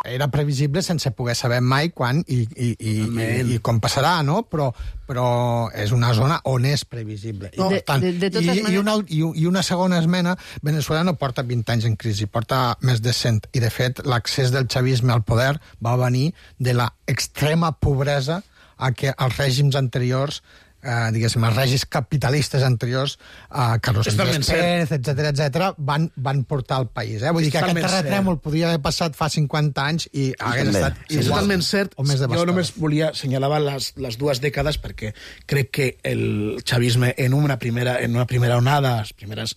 era previsible sense poder saber mai quan i com passarà, no? Però és una zona on és previsible. I una segona esmena, Venezuela no porta 20 anys en crisi, porta més de 100, i de fet l'accés del chavisme al poder va venir de la extrema pobresa a què els règims anteriors, diguéssim, els règims capitalistes anteriors, Carlos Andrés Pérez, etc., van portar al país. Vull dir que aquest terratrèmol podria haver passat fa 50 anys i hagués estat igual. És totalment cert. O més devastador. Jo només volia assenyalar les 2 dècades perquè crec que el chavisme en una primera onada, els primers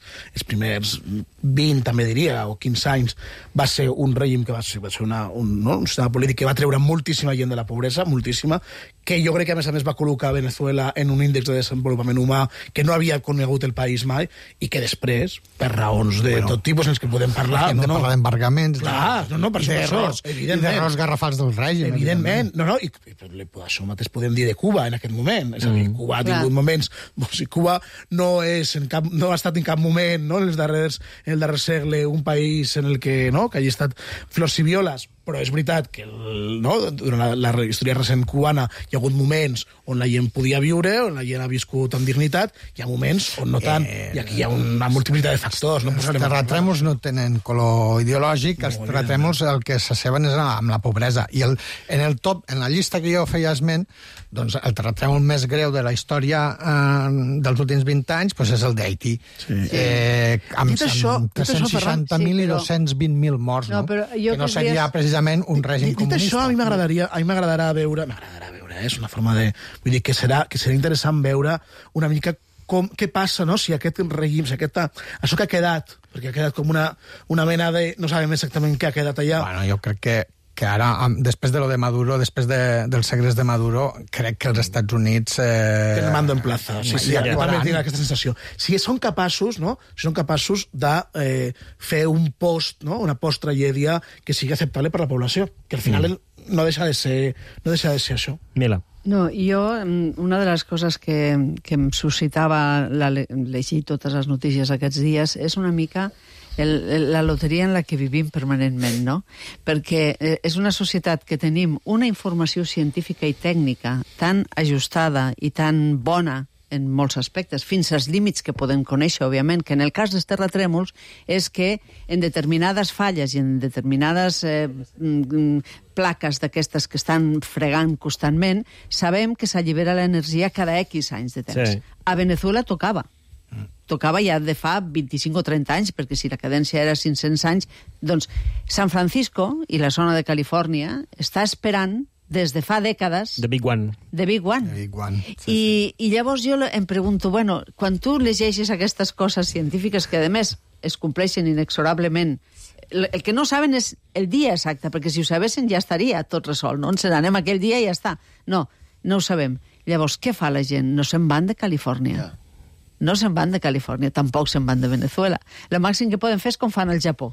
20, també diria, o 15 anys, va ser un règim que va ser un sistema polític que va treure moltíssima gent de la pobresa, moltíssima, que jo crec que a més va col·locar Venezuela en un índex de desenvolupament humà que no havia conegut el país mai i que després, per raons de tot tipus en els que podem parlar... Hem de parlar d'embargaments, d'errors garrafals del règim. Evidentment, i això mateix podem dir de Cuba en aquest moment. És a dir, Cuba ha tingut moments... Cuba no ha estat en cap moment, en el darrer segle, un país en el que hagi estat flors i violes, però és veritat que durant la història recent cubana hi ha hagut moments on la gent podia viure, on la gent ha viscut amb dignitat, hi ha moments on no tant, i aquí hi ha una multiplicitat de factors. Els terratrèmols no tenen color ideològic, els terratrèmols el que s'asseben és amb la pobresa. I en la llista que jo feia esment, doncs el terratrèmol més greu de la història dels últims 20 anys és el d'Haití, amb 360.000 i 220.000 morts, que no seria precisament un règim comunista. Dit això, a mi m'agradarà veure, és una forma de... Vull dir que serà interessant veure una mica què passa, si aquest règim, això que ha quedat, perquè ha quedat com una mena de... No sabem exactament què ha quedat allà. Bueno, jo crec que ara, després de lo de Maduro, després dels segrets de Maduro, crec que els Estats Units... Tenen mando en plaza. Sí, jo també tinc aquesta sensació. Si són capaços, de fer un una post-tragèdia que sigui acceptable per la població, que al final no deixa de ser això. Mila. No, jo, una de les coses que em suscitava llegir totes les notícies aquests dies és una mica la loteria en la que vivim permanentment, no? Perquè és una societat que tenim una informació científica i tècnica tan ajustada i tan bona en molts aspectes, fins als límits que podem conèixer, òbviament, que en el cas dels terratrèmols és que en determinades falles i en determinades plaques d'aquestes que estan fregant constantment, sabem que s'allibera l'energia cada X anys de temps. Sí. A Venezuela tocava ja de fa 25 o 30 anys, perquè si la cadència era 500 anys, doncs San Francisco i la zona de Califòrnia està esperant des de fa dècades... The Big One. The Big One. I llavors jo em pregunto, quan tu llegeixes aquestes coses científiques que, a més, es compleixen inexorablement, el que no saben és el dia exacte, perquè si ho sabessin ja estaria tot resolt, no? Ens n'anem aquell dia i ja està. No ho sabem. Llavors, què fa la gent? No se'n van de Califòrnia. No se'n van de Califòrnia, tampoc se'n van de Venezuela. El màxim que poden fer és com fan el Japó,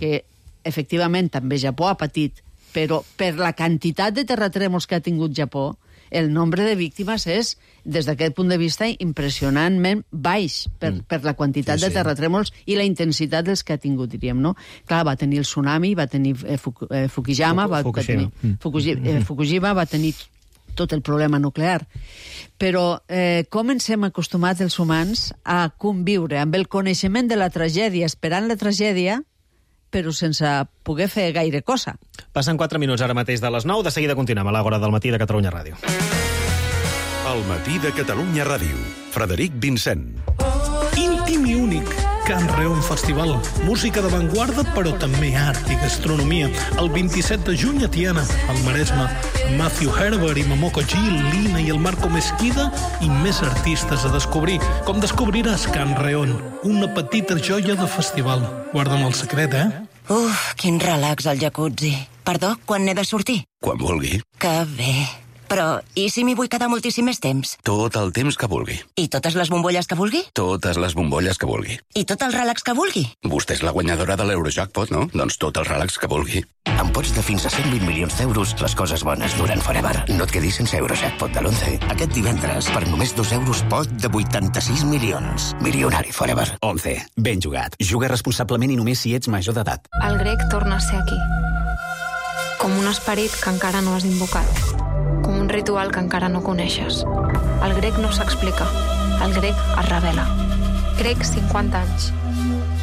que efectivament també Japó ha patit, però per la quantitat de terratrèmols que ha tingut Japó, el nombre de víctimes és, des d'aquest punt de vista, impressionantment baix per la quantitat de terratrèmols i la intensitat dels que ha tingut, diríem, no? Clar, va tenir el tsunami, va tenir Fukushima, Fukushima va tenir tot el problema nuclear. Però com ens hem acostumat els humans a conviure amb el coneixement de la tragèdia, esperant la tragèdia, però sense poder fer gaire cosa. Passen 4 minuts ara mateix de les 9, de seguida continuem a l'Àgora del Matí de Catalunya Ràdio. El Matí de Catalunya Ràdio. Frederic Vincent. Íntim i únic. Can Reon Festival. Música d'avantguarda, però també art i gastronomia. El 27 de juny a Tiana, al Maresme. Matthew Herbert i Momoko Gil, Lina i el Marco Mesquida i més artistes a descobrir. Com descobriràs Can Reon, una petita joia de festival. Guarda'm el secret, Quin relax al jacuzzi. Perdó, quan n'he de sortir? Quan vulgui. Que bé. Però, i si m'hi vull quedar moltíssim més temps? Tot el temps que vulgui. I totes les bombolles que vulgui? Totes les bombolles que vulgui. I tot el relax que vulgui? Vostè és la guanyadora de l'Eurojackpot, no? Doncs tot el relax que vulgui. Amb pots de fins a 120 milions d'euros, les coses bones duren forever. No et quedis sense Eurojackpot de l'11. Aquest divendres, per només 2 euros, pot de 86 milions. Milionari forever. 11. Ben jugat. Juga responsablement i només si ets major d'edat. El grec torna a ser aquí. com un esperit que encara no has invocat, com un ritual que encara no coneixes. El grec no s'explica, el grec es revela. Grec 50 anys.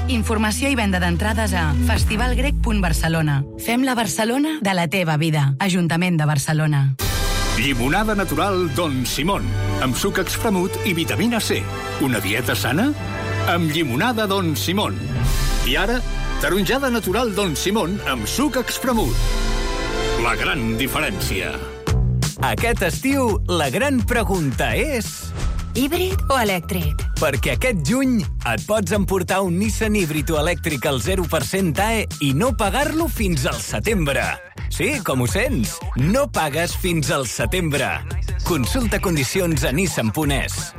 Informació i venda d'entrades a festivalgrec.barcelona. Fem la Barcelona de la teva vida. Ajuntament de Barcelona. Llimonada natural Don Simón, amb suc expremut i vitamina C. Una dieta sana? Amb llimonada Don Simón. I ara, taronjada natural Don Simón amb suc expremut. La gran diferència. Aquest estiu, la gran pregunta és... híbrid o elèctric? Perquè aquest juny et pots emportar un Nissan híbrid o elèctric al 0% AE i no pagar-lo fins al setembre. Sí, com ho sents? No pagues fins al setembre. Consulta condicions a nissan.es.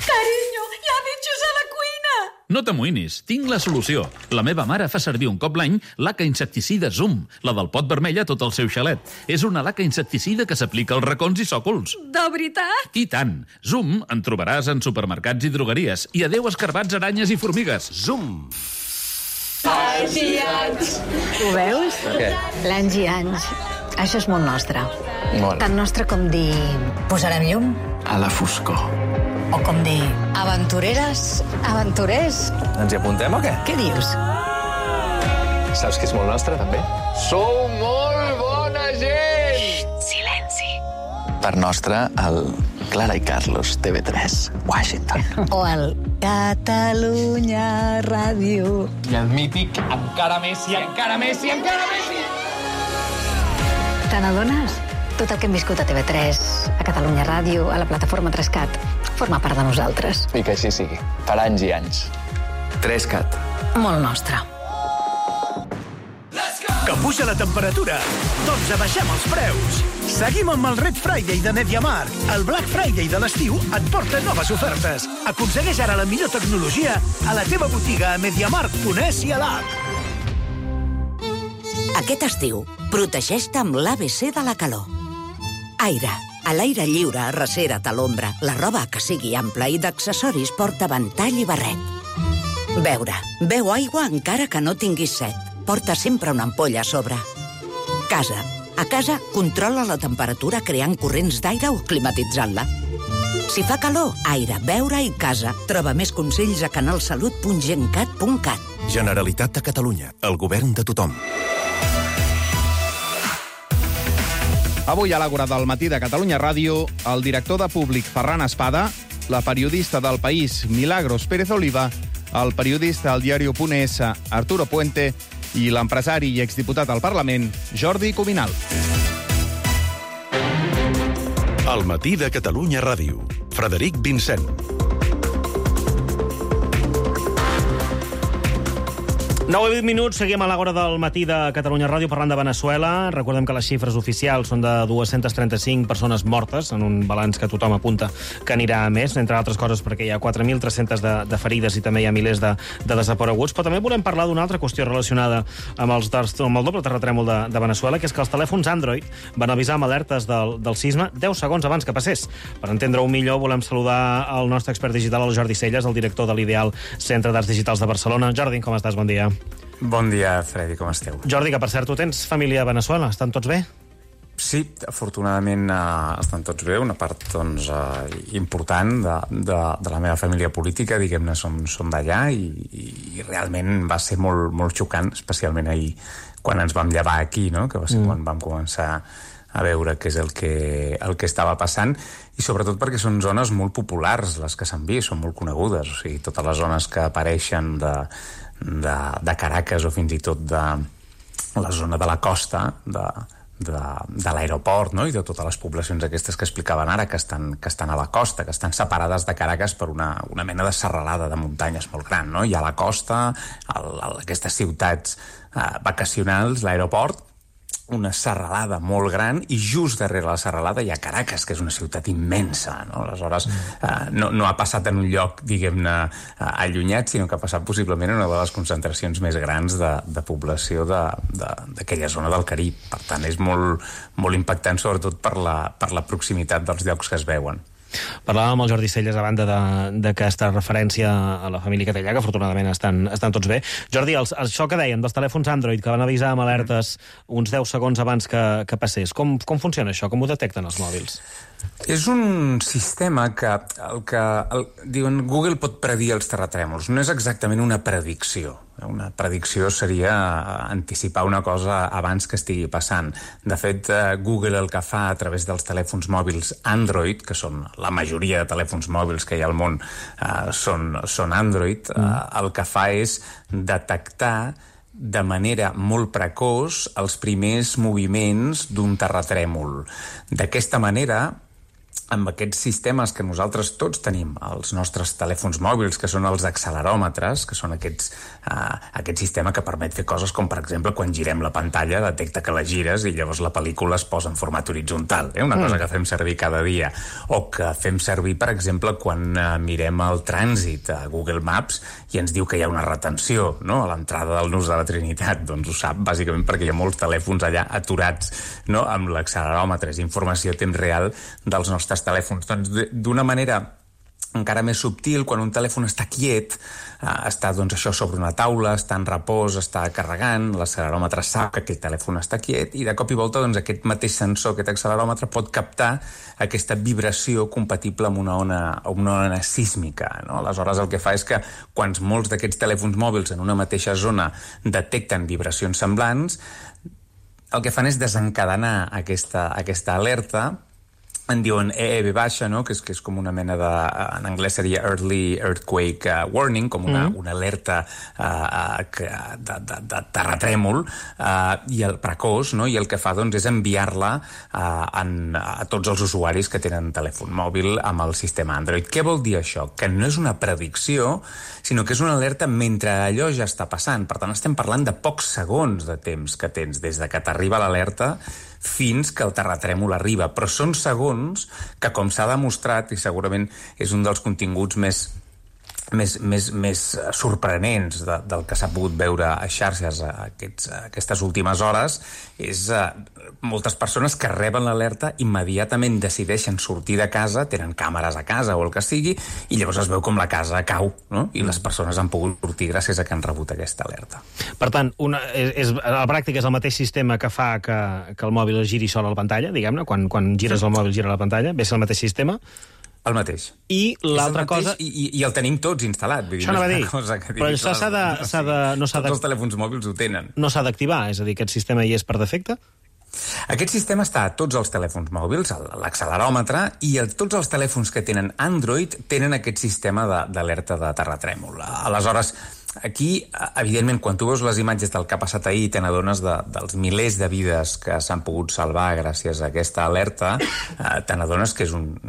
Carinyo, hi ha bitxos a la cuina! No t'amoïnis, tinc la solució. La meva mare fa servir un cop l'any laca insecticida Zoom, la del pot vermell a tot el seu xalet. És una laca insecticida que s'aplica als racons i sòcols. De veritat? I tant. Zoom en trobaràs en supermercats i drogueries. I adeu escarbats, aranyes i formigues. Zoom! Anys i anys. Ho veus? Què? L'anys i anys. Això és molt nostre. Molt. Tan nostre com dir... posarem llum? A la foscor. O com dir... aventureres, aventurers. Ens hi apuntem o què? Què dius? Saps que és molt nostre, també? Sou molt bona gent! Xxt, silenci. Per nostre, el Clara i Carlos, TV3, Washington. O el Catalunya Ràdio. I el mític Encara més i encara més i encara més i... Te n'adones? Tot el que hem viscut a TV3, a Catalunya Ràdio, a la plataforma 3CAT, forma part de nosaltres. I que així sigui, per anys i anys. 3CAT. Molt nostre. Que puja la temperatura? Doncs abaixem els preus. Seguim amb el Red Friday de MediaMarkt. El Black Friday de l'estiu et porta noves ofertes. Aconsegueix ara la millor tecnologia a la teva botiga a MediaMarkt.es i a l'app. Aquest estiu, protegeix-te amb l'ABC de la calor. Aire. A l'aire lliure, arrecera't a l'ombra. La roba que sigui ampla i d'accessoris porta ventall i barret. Beure. Beu aigua encara que no tinguis set. Porta sempre una ampolla a sobre. Casa. A casa, controla la temperatura creant corrents d'aire o climatitzant-la. Si fa calor, aire, beure i casa. Troba més consells a canalsalut.gencat.cat. Generalitat de Catalunya. El govern de tothom. Avui a l'Àgora del matí de Catalunya Ràdio, el director de Públic Ferran Espada, la periodista del País Milagros Pérez Oliva, el periodista al diario.es Arturo Puente i l'empresari i exdiputat al Parlament Jordi Cuminal. El matí de Catalunya Ràdio. Frederic Vincent. Nou i 20 minuts, seguim a l'Àgora del matí de Catalunya Ràdio parlant de Veneçuela. Recordem que les xifres oficials són de 235 persones mortes, en un balanç que tothom apunta que anirà a més, entre altres coses perquè hi ha 4.300 de ferides i també hi ha milers de desapareguts. Però també volem parlar d'una altra qüestió relacionada amb el doble terratrèmol de Veneçuela, que és que els telèfons Android van avisar amb alertes del sisme 10 segons abans que passés. Per entendre-ho millor, volem saludar el nostre expert digital, el Jordi Celles, el director de l'Ideal Centre d'Arts Digitals de Barcelona. Jordi, com estàs? Bon dia. Bon dia, Freddy, com esteu? Jordi, que per cert, tu tens família a Veneçuela, estan tots bé? Sí, afortunadament estan tots bé, una part doncs, important de la meva família política, diguem-ne, som d'allà i realment va ser molt xocant, especialment ahir quan ens vam llevar aquí, no? Que va ser quan vam començar a veure què és el que estava passant, i sobretot perquè són zones molt populars les que s'han vist, són molt conegudes, o sigui, totes les zones que apareixen de Caracas o fins i tot de la zona de la costa de l'aeroport, no? I de totes les poblacions aquestes que explicaven ara que estan a la costa, que estan separades de Caracas per una mena de serralada de muntanyes molt gran, no? Hi ha la costa, aquestes ciutats vacacionals, l'aeroport, una serralada molt gran, i just darrere la serralada hi ha Caracas, que és una ciutat immensa, no? Aleshores, no ha passat en un lloc, diguem-ne, allunyat, sinó que ha passat possiblement en una de les concentracions més grans de població d'aquella zona del Carib. Per tant, és molt impactant, sobretot per la proximitat dels llocs que es veuen. Parlàvem amb el Jordi Celles a banda d'aquesta referència a la família que té allà, que afortunadament estan tots bé. Jordi, això que deien dels telèfons Android, que van avisar amb alertes uns 10 segons abans que passés, com funciona això? Com ho detecten els mòbils? És un sistema que diuen Google pot predir els terratrèmols. No és exactament una predicció. Una predicció seria anticipar una cosa abans que estigui passant. De fet, Google el que fa a través dels telèfons mòbils Android, que són la majoria de telèfons mòbils que hi ha al món són Android, el que fa és detectar de manera molt precoç els primers moviments d'un terratrèmol. D'aquesta manera, amb aquests sistemes que nosaltres tots tenim, els nostres telèfons mòbils, que són els acceleròmetres, que són aquest sistema que permet fer coses com, per exemple, quan girem la pantalla, detecta que la gires i llavors la pel·lícula es posa en format horitzontal. Una cosa que fem servir cada dia. O que fem servir, per exemple, quan mirem el trànsit a Google Maps i ens diu que hi ha una retenció, no?, a l'entrada del Nus de la Trinitat. Doncs ho sap, bàsicament, perquè hi ha molts telèfons allà aturats, no?, amb l'acceleròmetre. És informació a temps real dels nostres telèfons. Doncs d'una manera encara més subtil, quan un telèfon està quiet, està doncs això sobre una taula, està en repòs, està carregant, l'acceleròmetre sap que aquell telèfon està quiet i de cop i volta doncs aquest mateix sensor, aquest acceleròmetre pot captar aquesta vibració compatible amb una ona sísmica, no? Aleshores el que fa és que quan molts d'aquests telèfons mòbils en una mateixa zona detecten vibracions semblants, el que fan és desencadenar aquesta alerta. En diuen EEB baixa, no?, que és com una mena de... En anglès seria Early Earthquake Warning, com una alerta de terratrèmol, i el precoç, no?, i el que fa, doncs, és enviar-la a tots els usuaris que tenen telèfon mòbil amb el sistema Android. Què vol dir això? Que no és una predicció, sinó que és una alerta mentre allò ja està passant. Per tant, estem parlant de pocs segons de temps que tens des de que t'arriba l'alerta fins que el terratrèmol arriba. Però són segons que, com s'ha demostrat, i segurament és un dels continguts més sorprenents del que s'ha pogut veure a xarxes aquestes últimes hores, és moltes persones que reben l'alerta immediatament decideixen sortir de casa, tenen càmeres a casa o el que sigui, i llavors es veu com la casa cau, no? I les persones han pogut sortir gràcies a que han rebut aquesta alerta. Per tant, a la pràctica és el mateix sistema que fa que el mòbil giri sol a la pantalla, diguem-ne, quan gires el mòbil gira la pantalla, ve a ser el mateix sistema. El mateix. I l'altra cosa... I el tenim tots instal·lat. Vull dir, això no va dir. Però això s'ha de... Tots els telèfons mòbils ho tenen. No s'ha d'activar, és a dir, aquest sistema hi és per defecte? Aquest sistema està a tots els telèfons mòbils, l'acceleròmetre, i tots els telèfons que tenen Android tenen aquest sistema d'alerta de terratrèmol. Aleshores, aquí, evidentment, quan tu veus les imatges del que ha passat ahir, te n'adones dels milers de vides que s'han pogut salvar gràcies a aquesta alerta, te n'adones que és un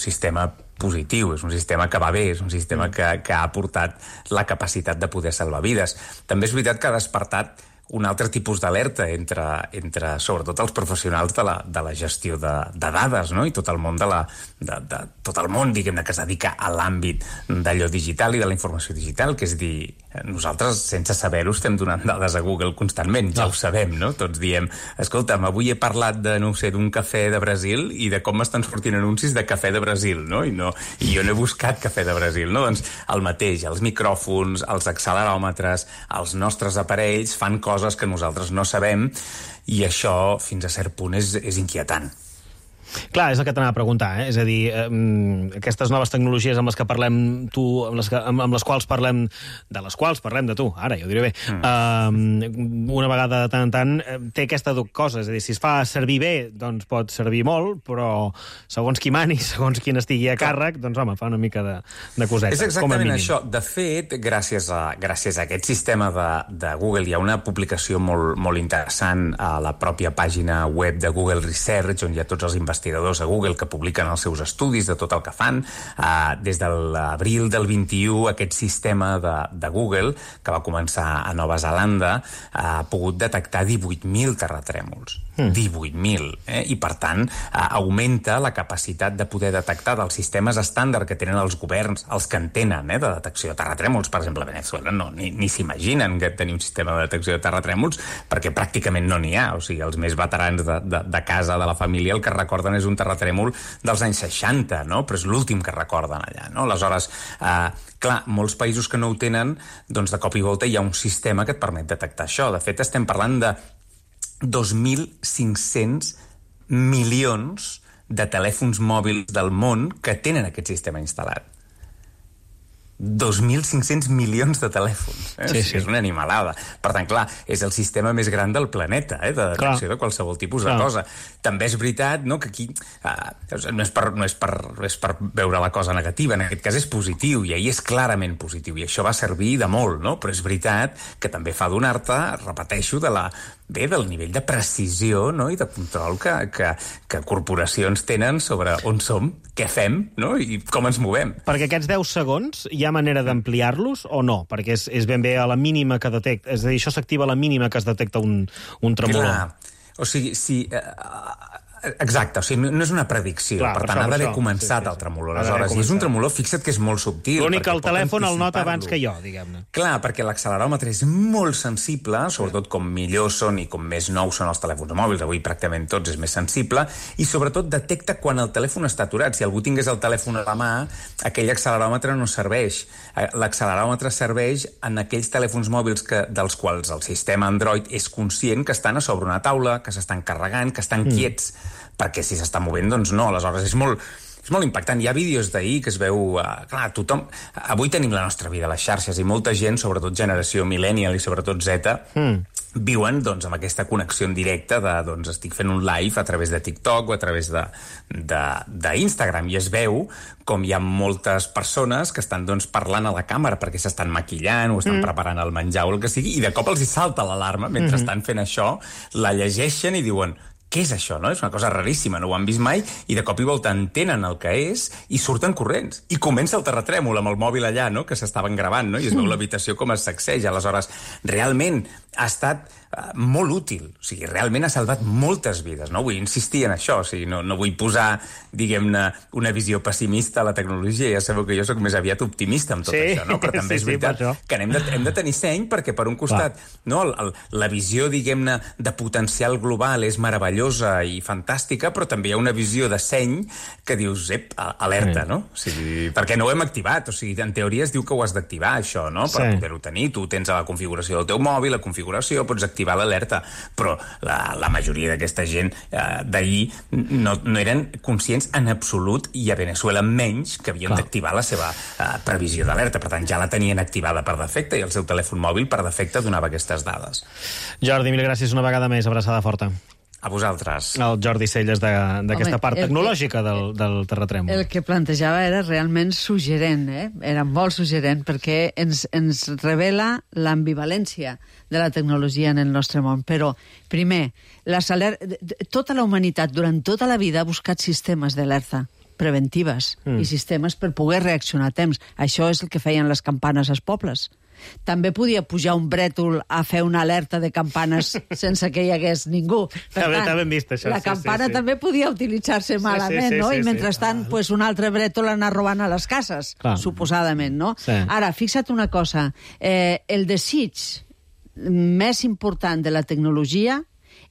sistema positiu, és un sistema que va bé, és un sistema que ha aportat la capacitat de poder salvar vides. També és veritat que ha despertat un altre tipus d'alerta entre sobretot els professionals de la gestió de dades, no? I tot el món tot el món, diguem-ne, que es dedica a l'àmbit d'allò digital i de la informació digital, que és dir, nosaltres, sense saber-ho, estem donant dades a Google constantment, ja ho sabem, no? Tots diem, escolta'm, avui he parlat d'un cafè de Brasil i de com m'estan sortint anuncis de cafè de Brasil, no? I jo no he buscat cafè de Brasil, no? Doncs el mateix, els micròfons, els acceleròmetres, els nostres aparells fan coses que nosaltres no sabem, i això, fins a cert punt, és inquietant. Clar, és el que t'anava a preguntar, és a dir, aquestes noves tecnologies amb les que parlem amb les quals parlem de tu, ara ja ho diré bé, una vegada de tant en tant té aquesta cosa, és a dir, si es fa servir bé, doncs pot servir molt, però segons qui mani, segons qui estigui a càrrec, doncs home, fa una mica de coseta. És exactament això. De fet, gràcies a aquest sistema de Google, hi ha una publicació molt interessant a la pròpia pàgina web de Google Research, on hi ha tots els investigadors a Google que publiquen els seus estudis de tot el que fan. Des de l'abril del 21, aquest sistema de Google, que va començar a Nova Zelanda, ha pogut detectar 18.000 terratrèmols. 18.000. I, per tant, augmenta la capacitat de poder detectar dels sistemes estàndard que tenen els governs, els que en tenen, de detecció de terratrèmols. Per exemple, a Venezuela ni s'imaginen que tenir un sistema de detecció de terratrèmols, perquè pràcticament no n'hi ha. O sigui, els més veterans de casa, de la família, el que recorden recorden és un terratrèmol dels anys 60, no? Però és l'últim que recorden allà, no? Aleshores, clar, molts països que no ho tenen, doncs de cop i volta hi ha un sistema que et permet detectar això. De fet, estem parlant de 2.500 milions de telèfons mòbils del món que tenen aquest sistema instal·lat. 2.500 milions de telèfons. Sí. És una animalada. Per tant, clar, és el sistema més gran del planeta, de detecció de qualsevol tipus de cosa. També és veritat, no?, que aquí no és per veure la cosa negativa, en aquest cas és positiu, i ahir és clarament positiu, i això va servir de molt, no? Però és veritat que també fa donar-te, repeteixo, del nivell de precisió, no?, i de control que corporacions tenen sobre on som, què fem, no?, i com ens movem. Perquè aquests 10 segons hi ha manera d'ampliar-los o no? Perquè és ben bé a la mínima que detecta. És a dir, això s'activa a la mínima que es detecta un tremolor. Clar. O sigui, si... Exacte, o sigui, no és una predicció. Clar, per tant, ha d'haver començat el tremolor. Aleshores, i és un tremolor, fixa't que és molt subtil. L'únic que el telèfon el nota abans que jo, diguem-ne. Clar, perquè l'acceleròmetre és molt sensible, sobretot com millor són i com més nous són els telèfons mòbils, avui pràcticament tots és més sensible, i sobretot detecta quan el telèfon està aturat. Si algú tingués el telèfon a la mà, aquell acceleròmetre no serveix. L'acceleròmetre serveix en aquells telèfons mòbils dels quals el sistema Android és conscient que estan a sobre una taula, que s'estan carregant, que estan quiets, perquè si s'està movent, doncs no. Aleshores, és molt impactant. Hi ha vídeos d'ahir que es veu... clar, tothom... Avui tenim la nostra vida a les xarxes i molta gent, sobretot generació millennial i sobretot Z, viuen doncs, amb aquesta connexió en directe de, doncs, estic fent un live a través de TikTok o a través d'Instagram, i es veu com hi ha moltes persones que estan doncs, parlant a la càmera perquè s'estan maquillant o estan preparant el menjar o el que sigui, i de cop els hi salta l'alarma mentre estan fent això, la llegeixen i diuen... Què és això, no? És una cosa raríssima, no ho han vist mai, i de cop i volta entenen el que és i surten corrents. I comença el terratrèmol amb el mòbil allà, no?, que s'estaven gravant, no?, i es veu l'habitació com es sacseja. Aleshores, realment ha estat molt útil. O sigui, realment ha salvat moltes vides, no? Vull insistir en això, o sigui, no vull posar, diguem-ne, una visió pessimista a la tecnologia. Ja sabeu que jo sóc més aviat optimista amb tot això, no? Però també és veritat que hem de tenir seny perquè, per un costat, no, la visió, diguem-ne, de potencial global és meravellosa i fantàstica, però també hi ha una visió de seny que dius, alerta, no? O sigui, perquè no ho hem activat. O sigui, en teoria es diu que ho has d'activar, això, no?, per poder-ho tenir. Tu tens a la configuració del teu mòbil, la configuració, pots activar l'alerta, però la majoria d'aquesta gent d'ahir no eren conscients en absolut, i a Venezuela menys, que havien d'activar la seva previsió d'alerta. Per tant, ja la tenien activada per defecte i el seu telèfon mòbil per defecte donava aquestes dades. Jordi, mil gràcies una vegada més. Abraçada forta. A vosaltres. El Jordi Celles d'aquesta part tecnològica del terratrèmol. El que plantejava era realment suggerent, era molt suggerent, perquè ens revela l'ambivalència de la tecnologia en el nostre món. Però, primer, tota la humanitat durant tota la vida ha buscat sistemes d'alerta preventives i sistemes per poder reaccionar a temps. Això és el que feien les campanes als pobles. També podia pujar un brètol a fer una alerta de campanes sense que hi hagués ningú. Per tant, la campana també podia utilitzar-se malament, no? I mentrestant, un altre brètol anar robant a les cases, suposadament, no? Ara, fixa't una cosa, el desig més important de la tecnologia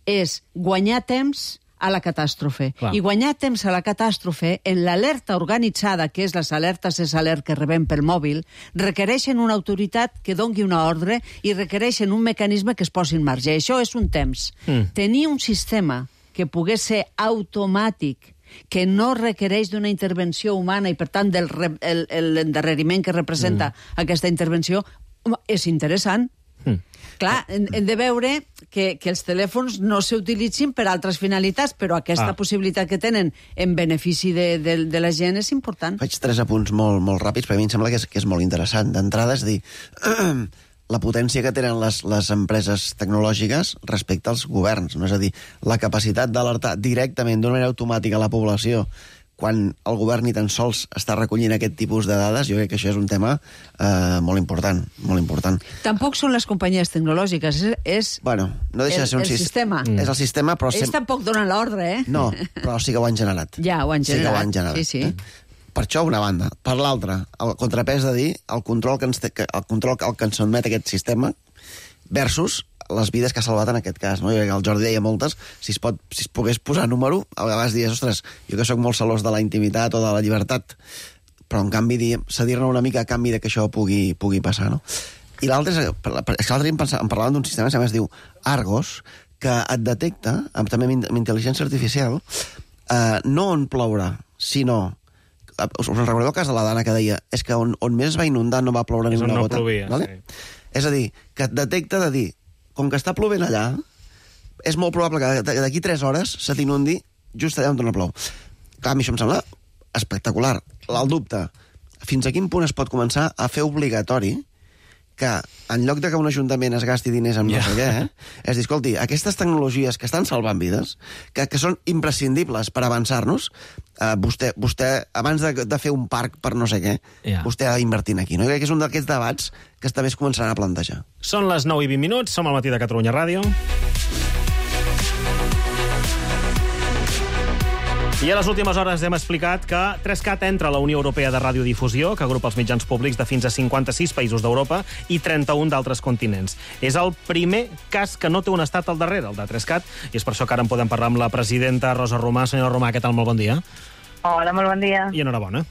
és guanyar temps a la catàstrofe. I guanyar temps a la catàstrofe en l'alerta organitzada, que és les alertes SALERT que rebem pel mòbil, requereixen una autoritat que doni una ordre i requereixen un mecanisme que es posi en marxa. Això és un temps. Tenir un sistema que pogués ser automàtic, que no requereix d'una intervenció humana i, per tant, l'endarreriment que representa aquesta intervenció, és interessant. Clar, hem de veure que els telèfons no s'utilitzin per altres finalitats, però aquesta possibilitat que tenen en benefici de la gent és important. Faig 3 apunts molt ràpids, perquè a mi em sembla que és molt interessant. D'entrada, és dir, la potència que tenen les empreses tecnològiques respecte als governs, no? És a dir, la capacitat d'alertar directament d'una manera automàtica a la població quan el govern ni tan sols està recollint aquest tipus de dades, jo crec que això és un tema molt important, molt important. Tampoc són les companyies tecnològiques, és no deixa de ser el sistema. És el sistema, però... Ells tampoc donen l'ordre, No, però sí que ho han generat. Ja, ho han generat. Sí que ho han generat. Sí. Per això, una banda. Per l'altra, el contrapès de dir el control que ens sotmet aquest sistema versus les vides que ha salvat en aquest cas, no? El Jordi deia moltes, si es pogués posar número, a vegades dius, ostres, jo que sóc molt celós de la intimitat o de la llibertat, però en canvi cedir-ne una mica a canvi de que això pugui passar, no? I l'altre és que l'altre dia em parlaven d'un sistema que es diu Argos, que et detecta, també amb intel·ligència artificial, no on plourà, sinó... Us recordeu el cas de la Dana que deia és que on més es va inundar no va ploure ni una gota? Plovia, vale? Sí. És a dir, que et detecta de dir, com que està plovent allà, és molt probable que d'aquí 3 hores se t'inundi just allà on no plou. Clar, a mi això em sembla espectacular. El dubte, fins a quin punt es pot començar a fer obligatori que en lloc de que un ajuntament es gasti diners en no sé què, és dir, escolti, aquestes tecnologies que estan salvant vides, que són imprescindibles per avançar-nos, vostè abans de fer un parc per no sé què, vostè ha d'invertir aquí. No? Jo crec que és un d'aquests debats que també es començaran a plantejar. Són les 9:20, som al Matí de Catalunya Ràdio. I a les últimes hores hem explicat que 3CAT entra a la Unió Europea de Radiodifusió, que agrupa els mitjans públics de fins a 56 països d'Europa i 31 d'altres continents. És el primer cas que no té un estat al darrere, el de 3CAT, i és per això que ara en podem parlar amb la presidenta Rosa Romà. Senyora Romà, què tal? Molt bon dia. Hola, molt bon dia. I enhorabona.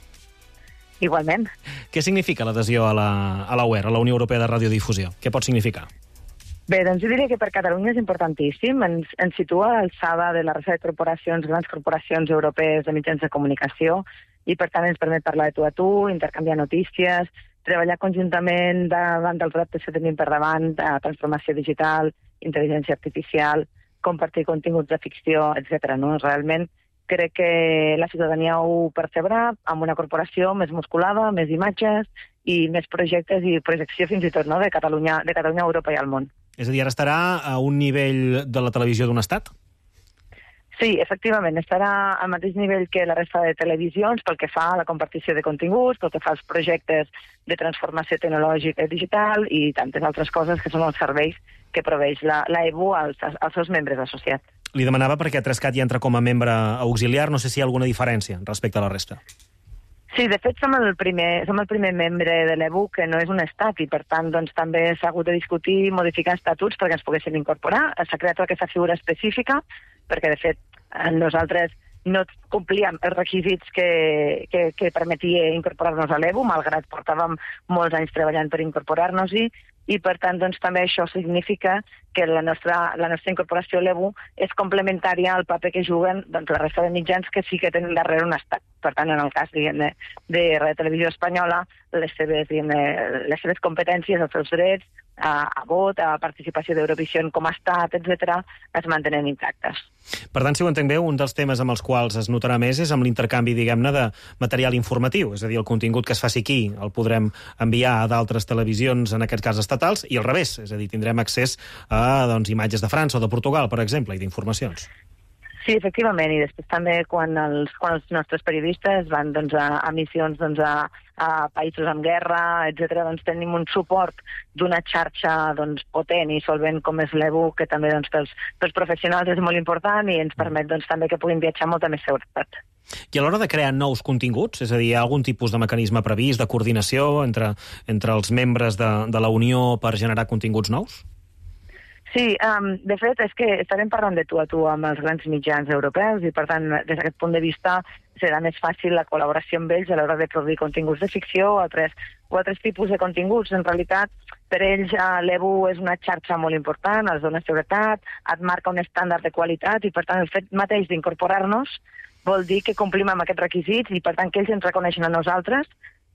Igualment. Què significa l'adhesió a la UER, a la Unió Europea de Radiodifusió? Què pot significar? Bé, doncs jo diria que per Catalunya és importantíssim. Ens situa a l'alçada de la resta de corporacions, grans corporacions europees de mitjans de comunicació, i per tant ens permet parlar de tu a tu, intercanviar notícies, treballar conjuntament davant dels reptes que tenim per davant, transformació digital, intel·ligència artificial, compartir continguts de ficció, etc. No? Realment crec que la ciutadania ho percebrà amb una corporació més musculada, més imatges i més projectes i projecció fins i tot, no? de Catalunya a Europa i al món. És a dir, ara estarà a un nivell de la televisió d'un estat? Sí, efectivament, estarà al mateix nivell que la resta de televisions pel que fa a la compartició de continguts, pel que fa als projectes de transformació tecnològica i digital i tantes altres coses que són els serveis que proveix l'EBU als seus membres associats. Li demanava perquè 3CAT hi entra com a membre auxiliar, no sé si hi ha alguna diferència respecte a la resta. Sí, de fet som el primer membre de l'EBU que no és un estat i per tant doncs, també s'ha hagut de discutir i modificar estatuts perquè ens poguéssim incorporar. S'ha creat aquesta figura específica perquè de fet nosaltres no complíem els requisits que permetia incorporar-nos a l'EBU, malgrat portàvem molts anys treballant per incorporar-nos-hi, i per tant doncs, també això significa que la nostra incorporació a l'EBU és complementària al paper que juguen doncs, la resta de mitjans que sí que tenen darrere un estat. Per tant, en el cas de Radio Televisió Espanyola, les seves competències, els seus drets, a vot, a participació d'Eurovisió com a estat, etc., es mantenen intactes. Per tant, si ho entenc bé, un dels temes amb els quals es notarà més és amb l'intercanvi, diguem-ne, de material informatiu. És a dir, el contingut que es faci aquí el podrem enviar a d'altres televisions, en aquest cas estatals, i al revés. És a dir, tindrem accés a imatges de França o de Portugal, per exemple, i d'informacions. Sí, efectivament, i després també quan els nostres periodistes van a missions a països amb guerra, etc., tenim un suport d'una xarxa potent i solvent com és l'EBU, que també pels professionals és molt important i ens permet també que puguin viatjar amb molta més seguretat. I a l'hora de crear nous continguts, és a dir, hi ha algun tipus de mecanisme previst, de coordinació entre els membres de la Unió per generar continguts nous? Sí, de fet, és que estarem parlant de tu a tu amb els grans mitjans europeus i, per tant, des d'aquest punt de vista, serà més fàcil la col·laboració amb ells a l'hora de produir continguts de ficció o altres tipus de continguts. En realitat, per ells, l'EBU és una xarxa molt important, els dona seguretat, et marca un estàndard de qualitat i, per tant, el fet mateix d'incorporar-nos vol dir que complim amb aquests requisits i, per tant, que ells ens reconeixen a nosaltres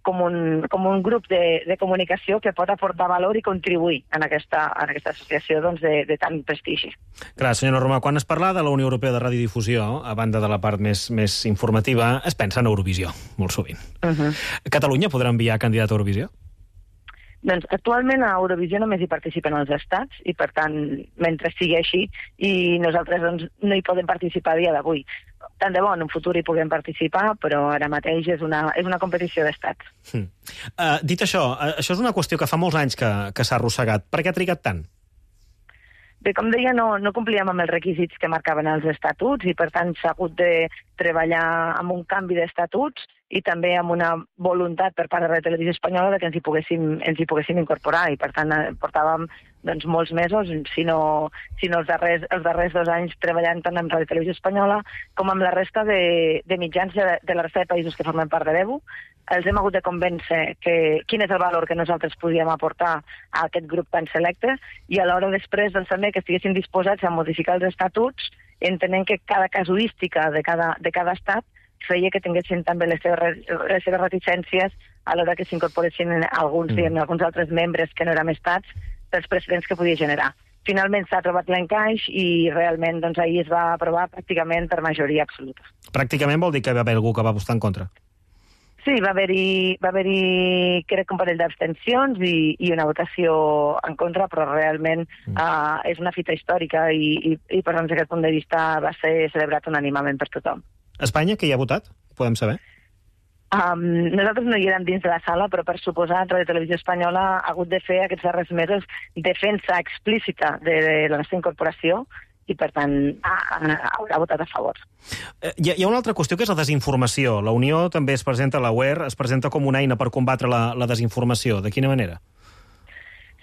com un grup de comunicació que pot aportar valor i contribuir en aquesta associació de tant prestigi. Clar, senyora Romà, quan es parla de la Unió Europea de Radiodifusió, a banda de la part més informativa, es pensa en Eurovisió, molt sovint. Catalunya podrà enviar candidat a Eurovisió? Doncs actualment a Eurovisió només hi participen els estats i, per tant, mentre sigui així, i nosaltres no hi podem participar a dia d'avui. Tant de bo en un futur hi puguem participar, però ara mateix és una competició d'estats. Dit això és una qüestió que fa molts anys que s'ha arrossegat. Per què ha trigat tant? Bé, com deia, no complíem amb els requisits que marcaven els estatuts i, per tant, s'ha hagut de treballar amb un canvi d'estatuts i també amb una voluntat per part de la Televisió Espanyola que ens hi poguéssim incorporar i, per tant, portàvem doncs, molts mesos, si no els darrers 2 anys treballant tant amb Ràdio Televisió Espanyola com amb la resta de mitjans de la resta de països que formen part de l'EBU. Els hem hagut de convèncer quin és el valor que nosaltres podíem aportar a aquest grup tan selecte i alhora després doncs, també que estiguessin disposats a modificar els estatuts, entenent que cada casuística de cada estat feia que tinguessin també les seves reticències a l'hora que s'incorporessin alguns altres membres que no érem estats pels precedents que podia generar. Finalment s'ha trobat l'encaix i realment doncs, ahir es va aprovar pràcticament per majoria absoluta. Pràcticament vol dir que va haver algú que va votar en contra? Sí, va haver-hi crec, un parell d'abstencions i una votació en contra, però realment és una fita històrica i per tant, des d'aquest punt de vista, va ser celebrat unànimament per tothom. Espanya, què hi ha votat? Podem saber? Nosaltres no hi érem dins de la sala, però per suposat Ràdio Televisió Espanyola ha hagut de fer aquests darrers mesos defensa explícita de la nostra incorporació i, per tant, haurà votat a favor. Hi ha una altra qüestió que és la desinformació. La Unió també es presenta, la UER, es presenta com una eina per combatre la desinformació. De quina manera?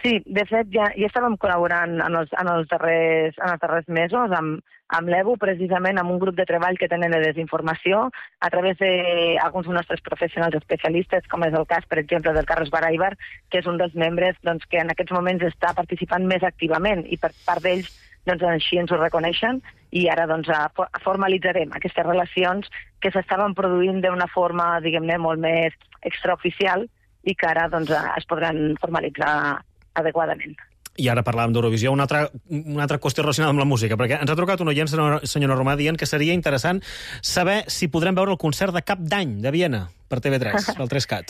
Sí, de fet, ja estàvem col·laborant en els darrers mesos amb l'EBU, precisament amb un grup de treball que tenen de desinformació a través d'alguns dels nostres professionals especialistes, com és el cas, per exemple, del Carlos Baraibar, que és un dels membres doncs, que en aquests moments està participant més activament i per part d'ells doncs, així ens ho reconeixen i ara doncs, formalitzarem aquestes relacions que s'estaven produint d'una forma, diguem-ne, molt més extraoficial i que ara doncs, es podran formalitzar adequadament. I ara parlàvem d'Eurovisió, una altra qüestió relacionada amb la música, perquè ens ha trucat un oient, senyora Romà, dient que seria interessant saber si podrem veure el concert de Cap d'Any de Viena per TV3, el 3CAT.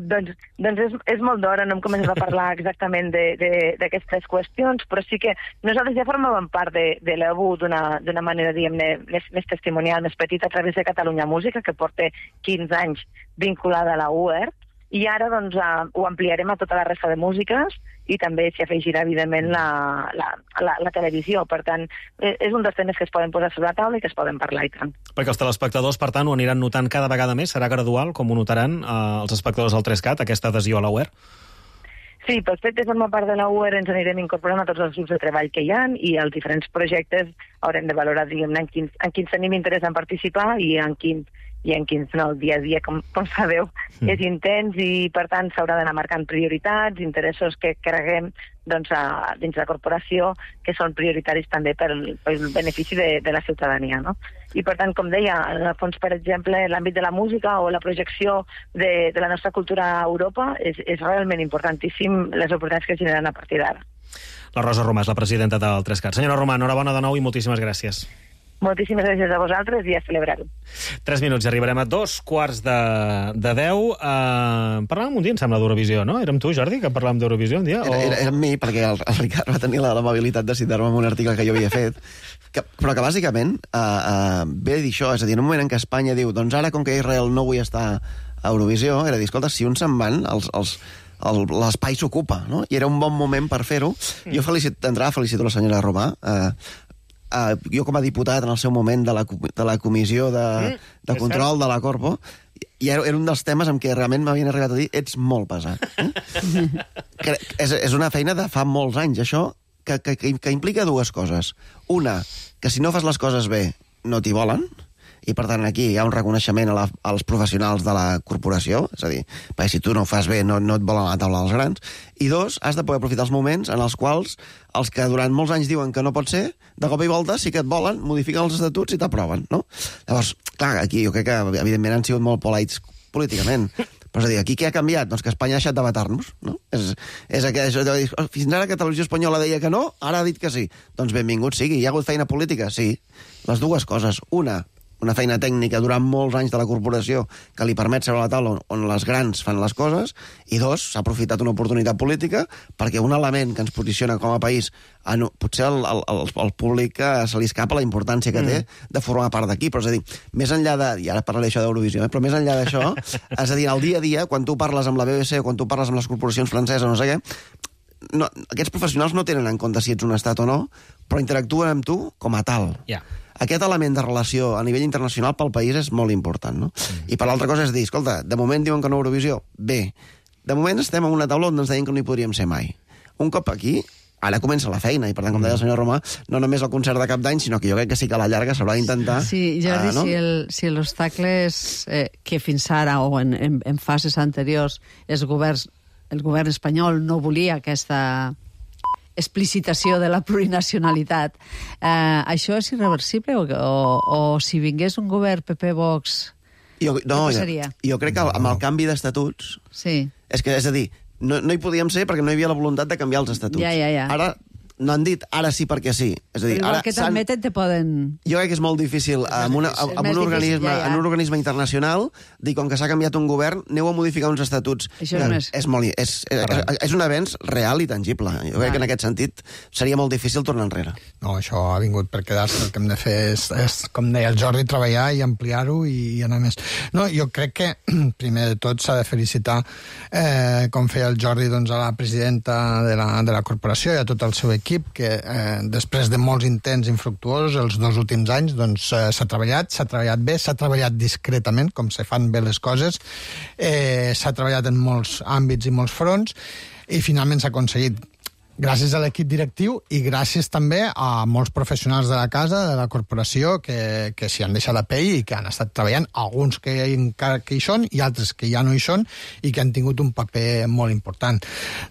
Doncs és molt d'hora, no hem començat a parlar exactament d'aquestes qüestions, però sí que nosaltres ja formàvem part de l'EBU d'una manera, diguem-ne, més testimonial, més petita, a través de Catalunya Música, que porta 15 anys vinculada a la UER, i ara doncs, ho ampliarem a tota la resta de músiques i també s'hi afegirà, evidentment, la televisió. Per tant, és un dels temes que es poden posar sobre la taula i que es poden parlar i tant. Perquè els telespectadors, per tant, ho aniran notant cada vegada més? Serà gradual, com ho notaran els espectadors del 3CAT, aquesta adhesió a la UER? Sí, pel fet de formar part de la UER ens anirem incorporant a tots els grups de treball que hi ha i els diferents projectes haurem de valorar, diguem-ne, en quins tenim interès en participar i en quins no, el dia a dia, com sabeu, és intens i, per tant, s'haurà d'anar marcant prioritats, interessos que creguem doncs, dins de la corporació que són prioritaris també pel benefici de la ciutadania. No? I, per tant, com deia, en el fons, per exemple, l'àmbit de la música o la projecció de la nostra cultura a Europa és realment importantíssim les oportunitats que es generen a partir d'ara. La Rosa Romà és la presidenta del 3CAT. Senyora Romà, enhorabona de nou i moltíssimes gràcies. Moltíssimes gràcies a vosaltres i a celebrar-ho. 3 minuts i arribarem a 9:45. Parlàvem un dia, em sembla, d'Eurovisió, no? Érem tu, Jordi, que parlàvem d'Eurovisió un dia? Era amb mi, perquè el Ricard va tenir l'amabilitat de citar-me en un article que jo havia fet, però que bàsicament ve a dir això, és a dir, en un moment en què Espanya diu doncs ara, com que Israel no vull estar a Eurovisió, era dir, escolta, si uns se'n van, l'espai s'ocupa, no? I era un bon moment per fer-ho. Jo d'entrada felicito la senyora Romà, jo com a diputat en el seu moment de la comissió de control de la Corpo, i era un dels temes en què realment m'havien arribat a dir ets molt pesat. És una feina de fa molts anys, això, que implica dues coses. Una, que si no fas les coses bé no t'hi volen, i per tant aquí hi ha un reconeixement als professionals de la corporació, és a dir, perquè si tu no ho fas bé no et volen a la taula dels grans, i dos, has de poder aprofitar els moments en els quals els que durant molts anys diuen que no pot ser, de cop i volta sí que et volen, modifiquen els estatuts i t'aproven, no? Llavors, clar, aquí jo crec que evidentment han sigut molt polits políticament, però és a dir, aquí què ha canviat? Doncs que Espanya ha deixat de matar-nos, no? Fins ara que Televisió Espanyola deia que no, ara ha dit que sí. Doncs benvingut sigui, hi ha hagut feina política? Sí. Les dues coses. Una feina tècnica durant molts anys de la corporació que li permet seure a la taula on les grans fan les coses, i dos, s'ha aprofitat una oportunitat política perquè un element que ens posiciona com a país, potser al públic se li escapa la importància que té de formar part d'aquí, però és a dir, més enllà de, i ara parlaré això d'Eurovisió, però més enllà d'això, és a dir, al dia a dia, quan tu parles amb la BBC o quan tu parles amb les corporacions franceses o no sé què, aquests professionals no tenen en compte si ets un estat o no, però interactuen amb tu com a tal. Aquest element de relació a nivell internacional pel país és molt important, no? I per l'altra cosa és dir, escolta, de moment diuen que no Eurovisió, bé, de moment estem en una taula on ens deien que no hi podríem ser mai. Un cop aquí, ara comença la feina, i per tant, com deia el senyor Romà, no només el concert de cap d'any, sinó que jo crec que sí que a la llarga s'haurà d'intentar... Sí, Jordi, no? si l'obstacle és que fins ara, o en fases anteriors, el govern espanyol no volia aquesta explicitació de la plurinacionalitat, això és irreversible o si vingués un govern PP-Vox, què passaria? Jo crec que amb el canvi d'estatuts... Sí. És a dir, no hi podíem ser perquè no hi havia la voluntat de canviar els estatuts. Ja. Ara no han dit ara sí perquè sí. És a dir, igual que t'admeten, te poden... Jo crec que és molt difícil en un organisme internacional dir, com que s'ha canviat un govern, aneu a modificar uns estatuts. Això és un avenç real i tangible. Jo crec que en aquest sentit seria molt difícil tornar enrere. No, això ha vingut per quedar-se. El que hem de fer és, com deia el Jordi, treballar i ampliar-ho i anar més. No, jo crec que, primer de tot, s'ha de felicitar, com feia el Jordi, doncs, a la presidenta de la corporació i a tot el seu equip, que després de molts intents infructuosos els 2 últims anys doncs, s'ha treballat bé, s'ha treballat discretament, com se fan bé les coses, s'ha treballat en molts àmbits i molts fronts, i finalment s'ha aconseguit gràcies a l'equip directiu i gràcies també a molts professionals de la casa, de la corporació, que s'hi han deixat la pell i que han estat treballant, alguns que encara que hi són i altres que ja no hi són i que han tingut un paper molt important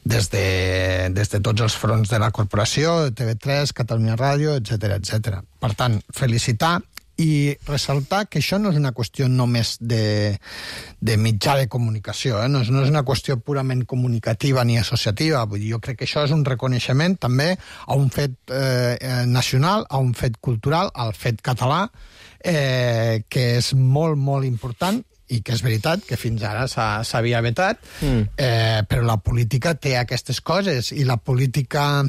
des de tots els fronts de la corporació, TV3, Catalunya Ràdio, etc. Per tant, felicitar i ressaltar que això no és una qüestió només de mitjà de comunicació, no és una qüestió purament comunicativa ni associativa. Vull dir, jo crec que això és un reconeixement també a un fet nacional, a un fet cultural, al fet català, que és molt, molt important i que és veritat que fins ara s'havia vetat, però la política té aquestes coses i la política...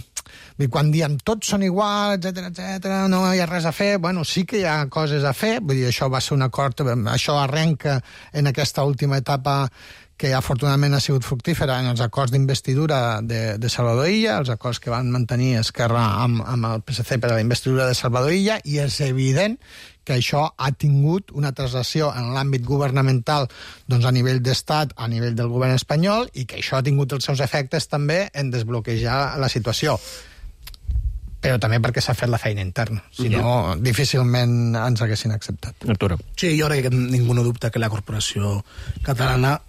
Quan diem tots són iguals, etc, no hi ha res a fer, bueno, sí que hi ha coses a fer, vull dir, això va ser un acord, això arrenca en aquesta última etapa que afortunadament ha sigut fructífera en els acords d'investidura de Salvador Illa, els acords que van mantenir Esquerra amb el PSC per a la investidura de Salvador Illa, i és evident que això ha tingut una translació en l'àmbit governamental doncs a nivell d'estat, a nivell del govern espanyol, i que això ha tingut els seus efectes també en desbloquejar la situació. Però també perquè s'ha fet la feina interna. Si no, difícilment ens haguessin acceptat. Arturo. Sí, jo crec que ningú no dubta que la corporació catalana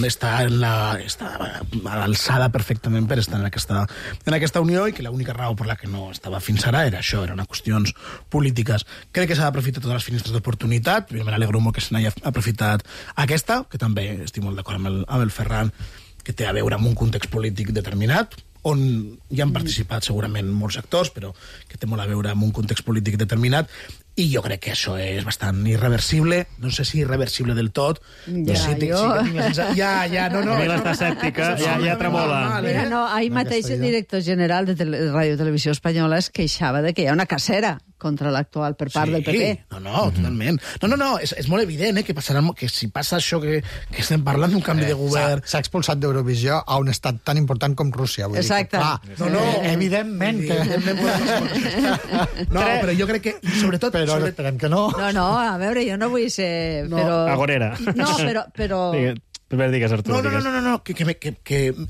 està a l'alçada perfectament per estar en aquesta unió i que l'única raó per la que no estava fins ara era això, eren qüestions polítiques. Crec que s'ha d'aprofitar totes les finestres d'oportunitat. Jo me n'alegro molt que se n'hagi aprofitat aquesta, que també estic molt d'acord amb el Ferran, que té a veure amb un context polític determinat, on hi han participat segurament molts actors, però que té molt a veure amb un context polític determinat, i jo crec que això és bastant irreversible, no sé si irreversible del tot. Ja, no. Mira, està escèptica, ja tremola. Mira, no, ahir mateix el director general de Ràdio Televisió Espanyola es queixava de que hi ha una cacera contra l'actual per part del PP. No, totalment. No, és molt evident que si passa això que estem parlant d'un canvi de govern... S'ha expulsat d'Eurovisió a un estat tan important com Rússia. Exacte. No, evidentment que... No, però jo crec que, sobretot... Però esperem que no. No, a veure, jo no vull ser... Agorera. No, però... Digues, Artur, no, que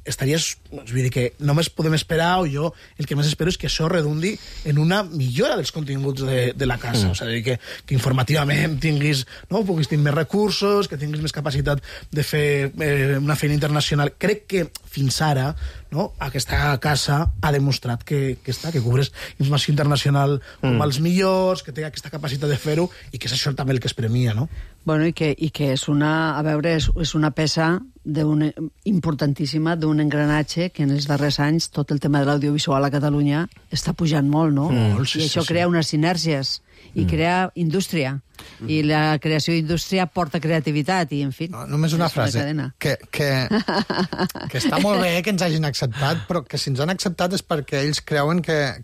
estaries... Vull dir que només podem esperar, o jo el que més espero és que això redundi en una millora dels continguts de la casa. O sigui, que informativament puguis tenir més recursos, que tinguis més capacitat de fer una feina internacional. Crec que fins ara aquesta casa ha demostrat que cobreix informació internacional com els millors, que té aquesta capacitat de fer-ho, i que és això també el que es premia, no? Bueno, i que és una peça importantíssima d'un engranatge que en els darrers anys tot el tema de l'audiovisual a Catalunya està pujant molt, no? I això crea unes sinèrgies i crea indústria. I la creació d'indústria porta creativitat i, en fi... Només una frase, que està molt bé que ens hagin acceptat, però que si ens han acceptat és perquè ells creuen que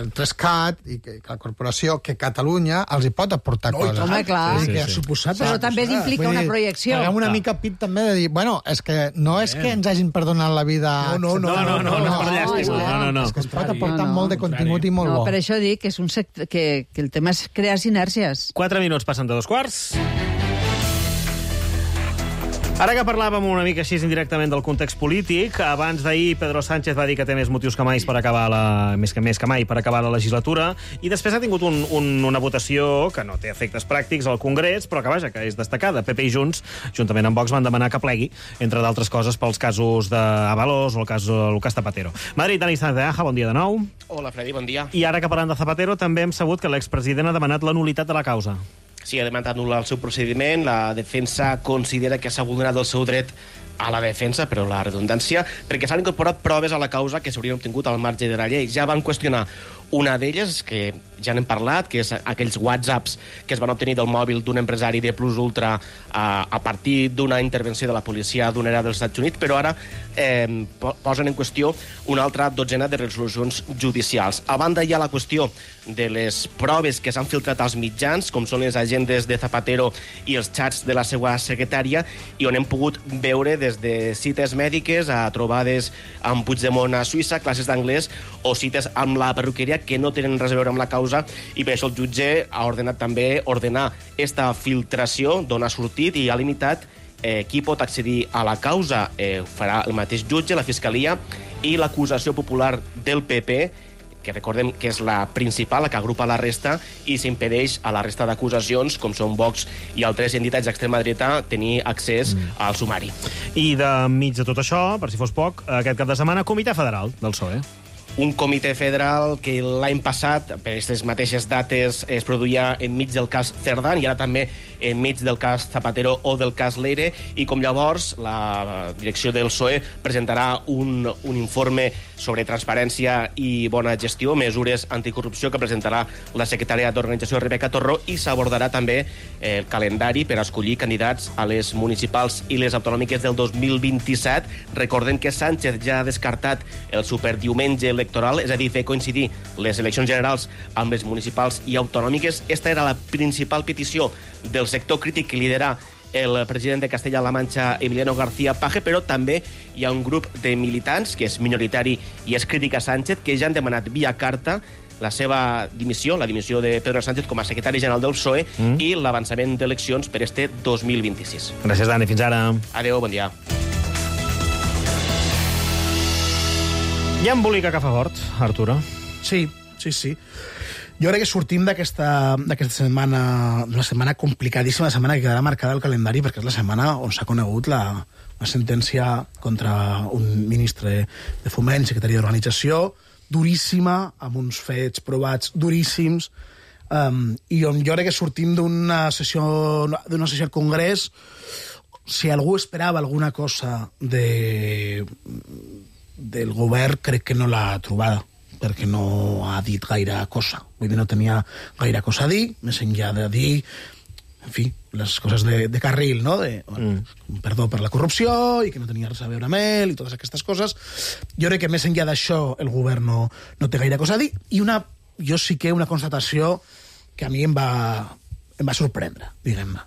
el 3CAT i que la corporació, que Catalunya els hi pot aportar coses. Home, clar. Però també implica una projecció. Paguem una mica pit també de dir, bueno, és que no és que ens hagin perdonat la vida... No, és que es pot aportar molt de contingut i molt bo. Per això dic que és un sector, que el tema és crear sinèrgies. 4 minuts passen de 2 quarts. Ara que parlàvem una mica així indirectament del context polític, abans d'ahir Pedro Sánchez va dir que té més motius que mai per acabar més que mai per acabar la legislatura, i després ha tingut una votació que no té efectes pràctics al Congrés, però que, vaja, que és destacada. PP i Junts, juntament amb Vox, van demanar que plegui, entre d'altres coses, pels casos d'Avalos o el cas Lucas Zapatero. Madrid, Dani Sánchez de Aja, bon dia de nou. Hola, Freddy, bon dia. I ara que parlant de Zapatero, també hem sabut que l'expresident ha demanat la nulitat de la causa. Sí, ha demanat anul·lar el seu procediment. La defensa considera que s'ha vulnerat el seu dret a la defensa, però la redundància, perquè s'han incorporat proves a la causa que s'haurien obtingut al marge de la llei. Ja van qüestionar una d'elles, que ja n'hem parlat, que és aquells whatsapps que es van obtenir del mòbil d'un empresari de Plus Ultra a partir d'una intervenció de la policia aduanera dels Estats Units, però ara posen en qüestió una altra dotzena de resolucions judicials. A banda hi ha la qüestió de les proves que s'han filtrat als mitjans, com són les agendes de Zapatero i els xats de la seva secretària, i on hem pogut veure des de cites mèdiques a trobades amb Puigdemont a Suïssa, classes d'anglès o cites amb la perruqueria que no tenen res a veure amb la causa, i per això el jutge ha ordenat també esta filtració d'on ha sortit i ha limitat qui pot accedir a la causa. Farà el mateix jutge, la Fiscalia i l'acusació popular del PP, que recordem que és la principal, la que agrupa la resta, i s'impedeix a la resta d'acusacions, com són Vox i altres entitats d'extrema dreta, tenir accés al sumari. I de mig de tot això, per si fos poc, aquest cap de setmana, Comitè Federal del PSOE. Un comitè federal que l'any passat, per aquestes mateixes dates, es produïa enmig del cas Cerdán i ara també enmig del cas Zapatero o del cas Leire, i com llavors la direcció del PSOE presentarà un informe sobre transparència i bona gestió, mesures anticorrupció, que presentarà la secretària d'Organització Rebeca Torró, i s'abordarà també el calendari per escollir candidats a les municipals i les autonòmiques del 2027. Recordem que Sánchez ja ha descartat el superdiumenge electoral, és a dir, fer coincidir les eleccions generals amb les municipals i autonòmiques. Esta era la principal petició del sector crític que lidera el president de Castella-La Manxa, Emiliano García Paje, però també hi ha un grup de militants, que és minoritari i és crític a Sánchez, que ja han demanat via carta la seva dimissió, la dimissió de Pedro Sánchez com a secretari general del PSOE i l'avançament d'eleccions per este 2026. Gràcies, Dani. Fins ara. Adéu, bon dia. Hi ha embolica que fa fort, Arturo. Sí. Jo crec que sortim d'aquesta setmana, una setmana complicadíssima, la setmana que quedarà marcada al calendari, perquè és la setmana on s'ha conegut una sentència contra un ministre de Foment, secretari d'Organització, duríssima, amb uns fets provats duríssims, i on jo crec que sortim d'una sessió al Congrés. Si algú esperava alguna cosa del govern, crec que no l'ha trobada, perquè no ha dit gaire cosa. Vull dir, no tenia gaire cosa a dir, més enllà de dir, en fi, les coses de carril, no? Perdó per la corrupció i que no tenia res a veure amb ell i totes aquestes coses. Jo crec que més enllà d'això el govern no té gaire cosa a dir, i jo sí que una constatació que a mi em va sorprendre, diguem-ne.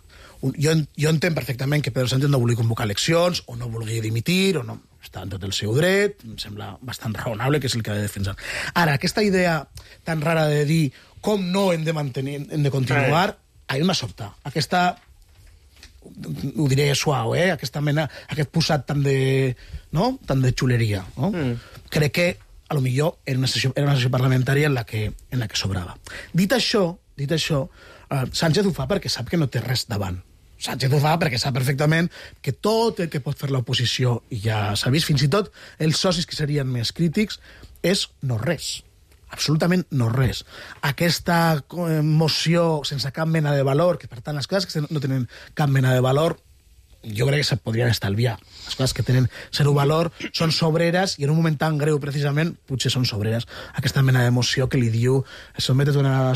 Jo entenc perfectament que Pedro Sánchez no vulgui convocar eleccions, o no vulgui dimitir, o no, està en tot el seu dret, em sembla bastant raonable, que és el que ha de defensar. Ara, aquesta idea tan rara de dir com no hem de continuar, a mi m'ha sobtat. Aquesta, ho diré suau, aquesta mena, aquest posat tan de xuleria. No? Crec que, a lo millor, era una sessió parlamentària en la que sobrava. Dit això, Sánchez ho fa perquè sap que no té res davant. Sánchez ho fa perquè sap perfectament que tot el que pot fer l'oposició, i ja s'ha vist, fins i tot els socis que serien més crítics, és no res. Absolutament no res. Aquesta moció sense cap mena de valor, que per tant les coses que no tenen cap mena de valor, jo crec que se podrien estalviar. Les coses que tenen zero valor són sobreres, i en un moment tan greu, precisament, potser són sobreres. Aquesta mena d'emoció que li diu sotmete't a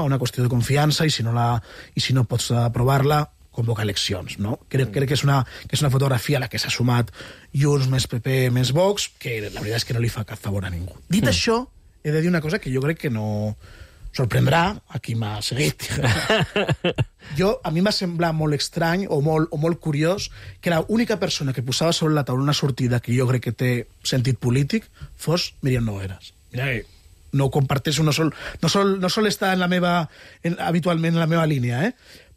una qüestió de confiança, i si no pots aprovar-la, convoca eleccions, no? Crec que és una fotografia a la que s'ha sumat Junts més PP més Vox, que la veritat és que no li fa cap favor a ningú. Dit això, he de dir una cosa que jo crec que no sorprendrà a qui m'ha seguit. A mi m'ha semblat molt estrany o molt curiós que l'única persona que posava sobre la taula una sortida que jo crec que té sentit polític fos Míriam Nogueras. Mira, no ho comparteixo, no sol estar habitualment en la meva línia,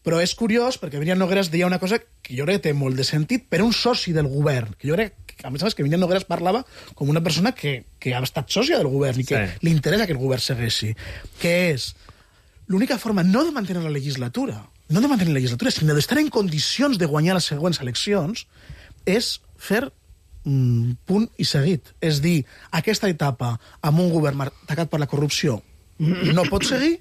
Però és curiós, perquè Míriam Nogueras deia una cosa que jo crec que té molt de sentit per un soci del govern, que jo crec que, a més a més, que Míriam Nogueras parlava com una persona que ha estat sòcia del govern i que li interessa que el govern segueixi, que és l'única forma no de mantenir la legislatura, sinó d'estar en condicions de guanyar les següents eleccions, és fer punt i seguit. És dir, aquesta etapa amb un govern atacat per la corrupció no pot seguir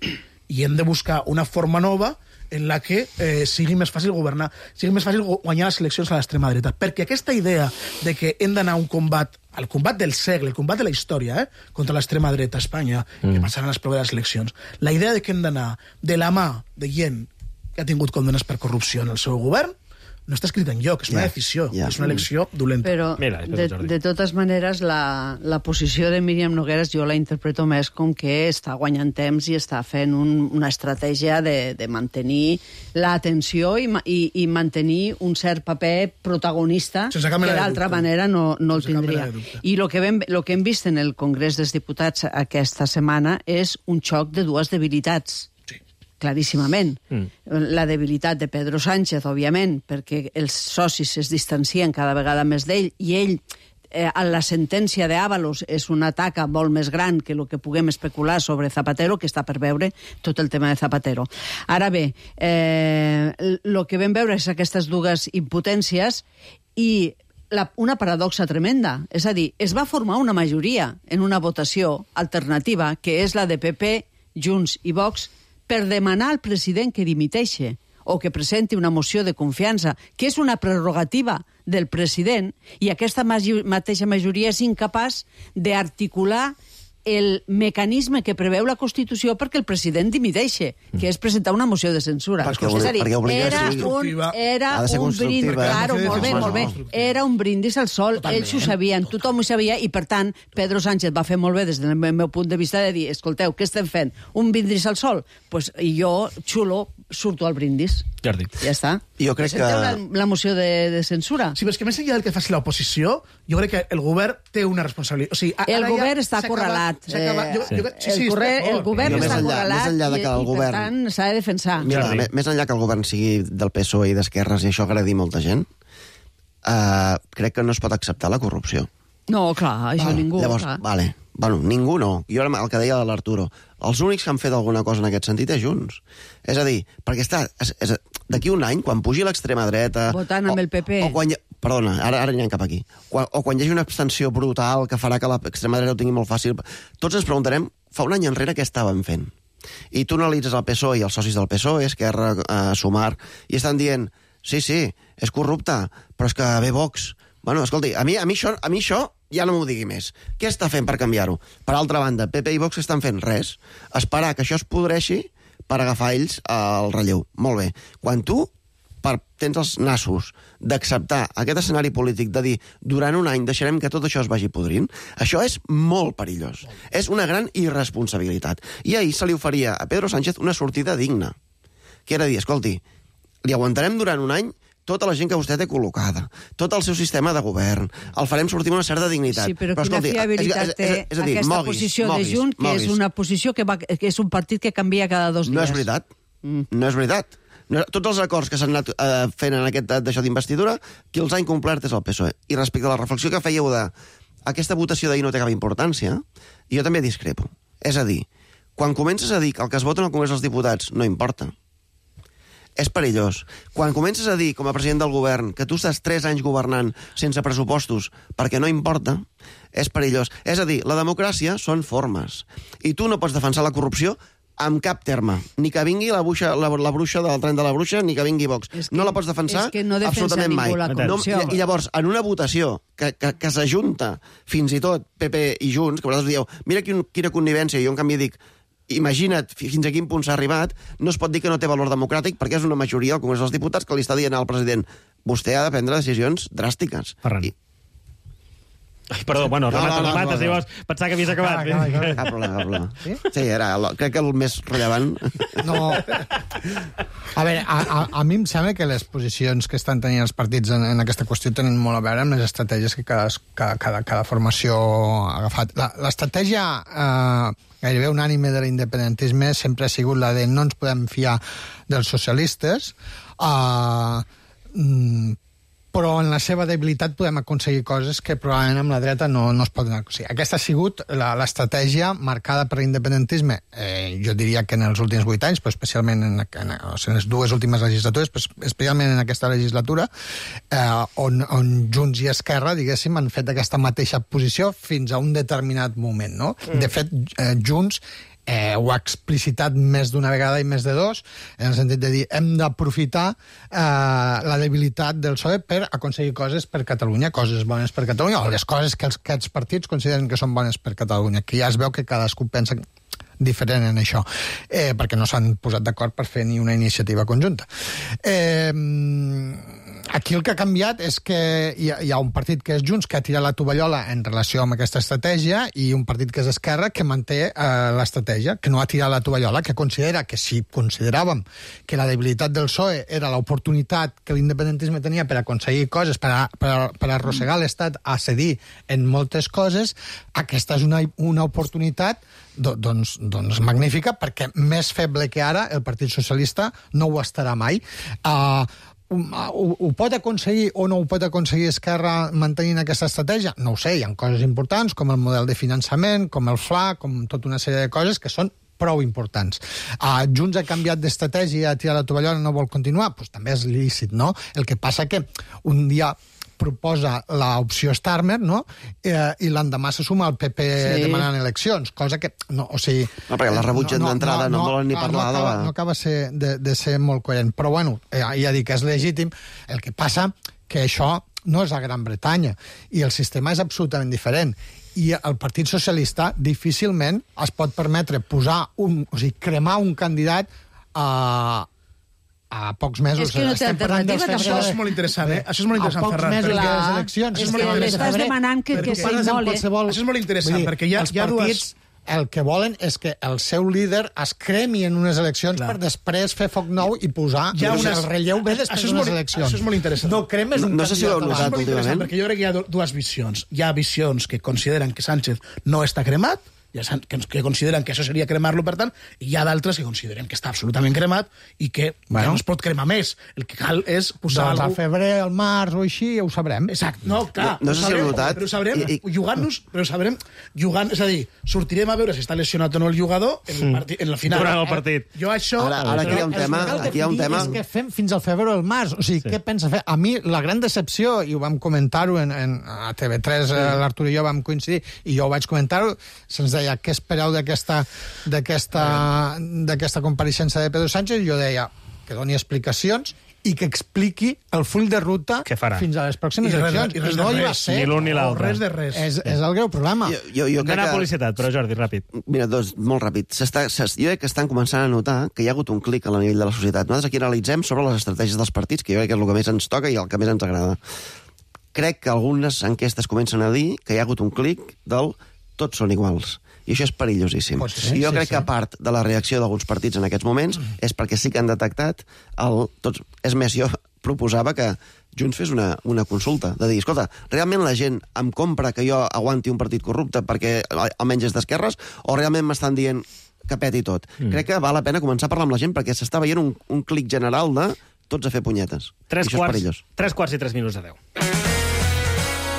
i hem de buscar una forma nova en la que sigui més fàcil governar, sigui més fàcil guanyar les eleccions a l'extrema dreta. Perquè aquesta idea de que hem d'anar a un combat, el combat del segle, el combat de la història, contra l'extrema dreta a Espanya, que passaran les properes eleccions, la idea de que hem d'anar de la mà de gent que ha tingut condenes per corrupció en el seu govern, no està escrit enlloc, és una decisió, és una elecció dolenta. Però, de totes maneres, la posició de Míriam Nogueras jo la interpreto més com que està guanyant temps i està fent una estratègia de mantenir l'atenció i mantenir un cert paper protagonista que d'altra manera no el tindria. I el que hem vist en el Congrés dels Diputats aquesta setmana és un xoc de dues debilitats. Claríssimament. La debilitat de Pedro Sánchez, òbviament, perquè els socis es distancien cada vegada més d'ell i ell, la sentència d'Ábalos és una taca molt més gran que el que puguem especular sobre Zapatero, que està per veure tot el tema de Zapatero. Ara bé, el que vam veure és aquestes dues impotències i una paradoxa tremenda. És a dir, es va formar una majoria en una votació alternativa, que és la de PP, Junts i Vox, per demanar al president que dimiteixi o que presenti una moció de confiança, que és una prerrogativa del president, i aquesta mateixa majoria és incapaç d'articular el mecanisme que preveu la Constitució perquè el president dimiteixi, que és presentar una moció de censura. És a dir, era un brindis, claro, molt bé, era un brindis al sol, ells ho sabien, tothom ho sabia, i per tant, Pedro Sánchez va fer molt bé des del meu punt de vista de dir, escolteu, què estem fent? Un brindis al sol? I jo, xulo, surto al brindis. Jordi. Ja està. Jo crec que... la moció de censura. Sí, però és que més enllà del que faci l'oposició, jo crec que el govern té una responsabilitat. O sigui, el govern està acorralat. El govern està acorralat i per tant s'ha de defensar. Mira, més enllà que el govern sigui del PSOE i d'esquerres i això agradi molta gent, crec que no es pot acceptar la corrupció. No, clar, això ningú. Llavors, bueno, ningú no. Jo era el que deia de l'Arturo. Els únics que han fet alguna cosa en aquest sentit és Junts. És a dir, perquè d'aquí un any, quan pugi l'extrema dreta... Votant amb el PP. Perdona, ara anirem cap aquí. O quan hi hagi una abstenció brutal que farà que l'extrema dreta ho tingui molt fàcil, tots ens preguntarem, fa un any enrere què estàvem fent? I tu analitzes el PSOE i els socis del PSOE, Esquerra, Sumar, i estan dient, sí, és corrupte, però és que ve Vox. Bueno, escolti, a mi això ja no m'ho digui més. Què està fent per canviar-ho? Per altra banda, PP i Vox estan fent res. Esperar que això es podreixi per agafar ells el relleu. Molt bé. Quan tu tens els nassos d'acceptar aquest escenari polític, de dir, durant un any deixarem que tot això es vagi podrint, això és molt perillós. És una gran irresponsabilitat. I ahir se li oferia a Pedro Sánchez una sortida digna, que era dir, escolti, li aguantarem durant un any tota la gent que vostè té col·locada, tot el seu sistema de govern, el farem sortir amb una certa dignitat. Sí, però quina fiabilitat té aquesta posició de Junts, que és una posició que és un partit que canvia cada 2 dies. No és veritat. No és veritat. Tots els acords que s'han anat fent en d'això d'investidura, qui els ha incomplert és el PSOE. I respecte a la reflexió que fèieu aquesta votació d'ahir no té cap importància, jo també discrepo. És a dir, quan comences a dir que el que es vota en el Congrés dels Diputats no importa, és perillós. Quan comences a dir, com a president del govern, que tu estàs 3 anys governant sense pressupostos perquè no importa, és perillós. És a dir, la democràcia són formes. I tu no pots defensar la corrupció amb cap terme. Ni que vingui la bruixa del tren de la bruixa, ni que vingui Vox. No la pots defensar absolutament mai. I llavors, en una votació que s'ajunta fins i tot PP i Junts, que vosaltres dieu, mira quina connivència, i jo en canvi dic, imagina't fins a quin punt s'ha arribat, no es pot dir que no té valor democràtic perquè és una majoria al Congrés dels Diputats que li està dient al president, vostè ha de prendre decisions dràstiques. Ferran. Perdó, bueno, remata, si vols. Pensava que havies acabat. Cap problema. Sí, crec que el més rellevant... No. A veure, a mi em sembla que les posicions que estan tenint els partits en aquesta qüestió tenen molt a veure amb les estratègies que cada formació ha agafat. L'estratègia gairebé unànime de l'independentisme sempre ha sigut la de no ens podem fiar dels socialistes, però en la seva debilitat podem aconseguir coses que probablement amb la dreta no es poden aconseguir. Aquesta ha sigut l'estratègia marcada per l'independentisme, jo diria que en els últims 8 anys, però especialment en les 2 últimes legislatures, però especialment en aquesta legislatura, on Junts i Esquerra, diguéssim, han fet aquesta mateixa posició fins a un determinat moment, no? De fet, Junts ho ha explicitat més d'una vegada i més de dos, en el sentit de dir hem d'aprofitar la debilitat del PSOE per aconseguir coses per Catalunya, coses bones per Catalunya, o les coses que aquests partits consideren que són bones per Catalunya, que ja es veu que cadascú pensa diferent en això, perquè no s'han posat d'acord per fer ni una iniciativa conjunta. Aquí el que ha canviat és que hi ha un partit que és Junts que ha tirat la tovallola en relació amb aquesta estratègia i un partit que és Esquerra que manté l'estratègia, que no ha tirat la tovallola, que considera que si consideràvem que la debilitat del PSOE era l'oportunitat que l'independentisme tenia per aconseguir coses, per arrossegar l'Estat a cedir en moltes coses, aquesta és una oportunitat doncs magnífica, perquè més feble que ara el Partit Socialista no ho estarà mai. Ho pot aconseguir o no ho pot aconseguir Esquerra mantenint aquesta estratègia? No ho sé, hi ha coses importants com el model de finançament, com el FLA, com tota una sèrie de coses que són prou importants. Junts ha canviat d'estratègia, ha tirat la tovallola, no vol continuar? Doncs també és lícit, no? El que passa que un dia proposa l'opció Starmer, no? I l'endemà se suma el PP demanant eleccions, cosa que... No, o sigui... No, perquè la rebutgen d'entrada, no volen ni parlar de la... No acaba de ser molt coherent. Però, bueno, ja dic que és legítim. El que passa que això no és a Gran Bretanya i el sistema és absolutament diferent. I el Partit Socialista difícilment es pot permetre cremar un candidat a pocs mesos. És que no té alternativa, tampoc. Això és molt interessant, Això és molt interessant, Ferran. A pocs mesos de les eleccions. És que l'estàs demanant que s'immole. Això és molt interessant, perquè hi ha partits... El que volen és que el seu líder es cremi en unes eleccions per després fer foc nou i posar el relleu bé després d'unes eleccions. Això és molt interessant. No cremes un candidat. No sé si ho heu notat últimament. Perquè jo crec que hi ha dues visions. Hi ha visions que consideren que Sánchez no està cremat, que consideren que això seria cremar-lo, per tant, i hi ha d'altres que consideren que està absolutament cremat i que no es pot cremar més. El que cal és posar algú... al febrer, al març o així, ja ho sabrem. Exacte. No, clar. No sé si heu notat. Però ho sabrem jugant-nos, jugant, és a dir, sortirem a veure si està lesionat o no el jugador en la final. Durant el partit. Jo això... Ara aquí hi ha un tema... És que fem fins al febrer o al març. O sigui, què pensa fer? A mi, la gran decepció, i ho vam comentar-ho a TV3, l'Artur i jo vam coincidir, i jo ho vaig comentar-ho, se'ns deia què espereu d'aquesta compareixença de Pedro Sánchez, i jo deia que doni explicacions i que expliqui el full de ruta fins a les pròximes eleccions. I no hi va ser. Ni l'un ni l'altre. Res de res. És el greu problema. Jo crec que... publicitat, però Jordi, ràpid. Mira, molt ràpid. Jo crec que estan començant a notar que hi ha hagut un clic a nivell de la societat. Nosaltres aquí analitzem sobre les estratègies dels partits, que jo crec que és el que més ens toca i el que més ens agrada. Crec que algunes enquestes comencen a dir que hi ha hagut un clic del tots són iguals. I això és perillosíssim. Jo crec que a part de la reacció d'alguns partits en aquests moments és perquè sí que han detectat És més, jo proposava que Junts fes una consulta, de dir, escolta, realment la gent em compra que jo aguanti un partit corrupte perquè almenys és d'esquerres, o realment m'estan dient que peti tot? Crec que val la pena començar a parlar amb la gent perquè s'està veient un clic general de tots a fer punyetes. 3 quarts i 3 minuts de 10.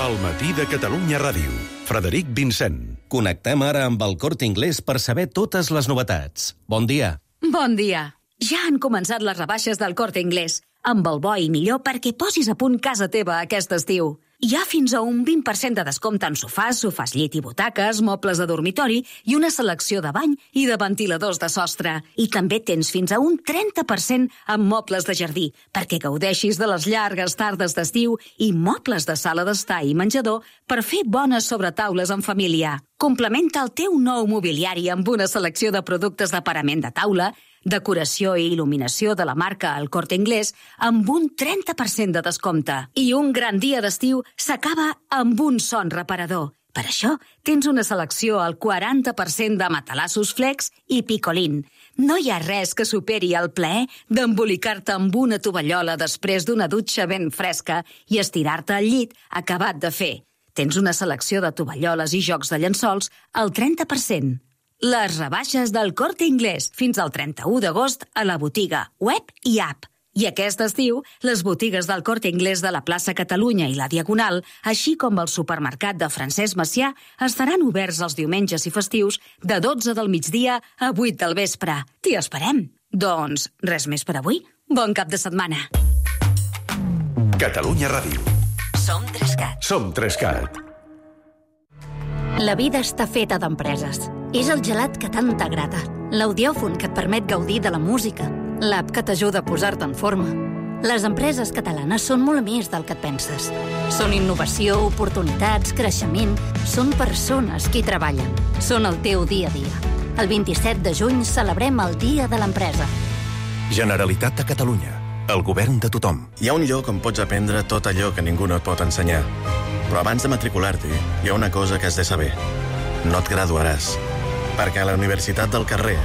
El matí de Catalunya Ràdio. Frederic Vincent. Connectem ara amb el Corte Inglés per saber totes les novetats. Bon dia. Bon dia. Ja han començat les rebaixes del Corte Inglés, amb el bo i millor perquè posis a punt casa teva aquest estiu. Hi ha fins a un 20% de descompte en sofàs, sofàs llit i butaques, mobles de dormitori i una selecció de bany i de ventiladors de sostre. I també tens fins a un 30% en mobles de jardí, perquè gaudeixis de les llargues tardes d'estiu i mobles de sala d'estar i menjador per fer bones sobretaules en família. Complementa el teu nou mobiliari amb una selecció de productes de parament de taula, decoració i il·luminació de la marca El Corte Inglés amb un 30% de descompte. I un gran dia d'estiu s'acaba amb un son reparador. Per això tens una selecció al 40% de matalassos Flex i Picolín. No hi ha res que superi el plaer d'embolicar-te amb una tovallola després d'una dutxa ben fresca i estirar-te al llit acabat de fer. Tens una selecció de tovalloles i jocs de llençols al 30%. Les rebaixes del Corte Inglés fins al 31 d'agost a la botiga, web i app. I aquest estiu, les botigues del Corte Inglés de la plaça Catalunya i la Diagonal, així com el supermercat de Francesc Macià, estaran oberts els diumenges i festius de 12 del migdia a 8 del vespre. T'hi esperem. Doncs res més per avui. Bon cap de setmana. Catalunya Ràdio. Som 3CAT. Som 3CAT. La vida està feta d'empreses. És el gelat que tant t'agrada, l'audiòfon que et permet gaudir de la música, l'app que t'ajuda a posar-te en forma. Les empreses catalanes són molt més del que et penses. Són innovació, oportunitats, creixement. Són persones qui treballen. Són el teu dia a dia. El 27 de juny celebrem el Dia de l'Empresa. Generalitat de Catalunya. El govern de tothom. Hi ha un lloc on pots aprendre tot allò que ningú no et pot ensenyar. Però abans de matricular-t'hi, hi ha una cosa que has de saber. No et graduaràs. Perquè a la Universitat del Carrer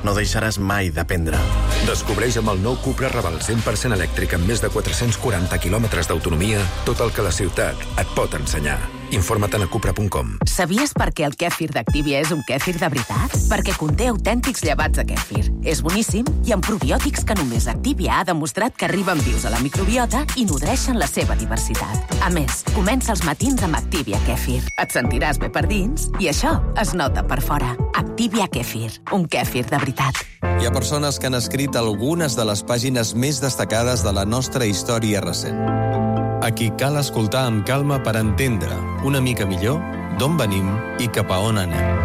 no deixaràs mai d'aprendre. Descobreix amb el nou Cupra Raval 100% elèctric amb més de 440 quilòmetres d'autonomia tot el que la ciutat et pot ensenyar. Informa't a cupra.com. Sabies per què el kèfir d'Activia és un kèfir de veritat? Perquè conté autèntics llevats de kèfir. És boníssim i amb probiòtics que només Activia ha demostrat que arriben vius a la microbiota i nodreixen la seva diversitat. A més, comença els matins amb Activia Kèfir. Et sentiràs bé per dins i això es nota per fora. Activia Kèfir, un kèfir de veritat. Hi ha persones que han escrit algunes de les pàgines més destacades de la nostra història recent. A qui cal escoltar amb calma per entendre una mica millor d'on venim i cap a on anem.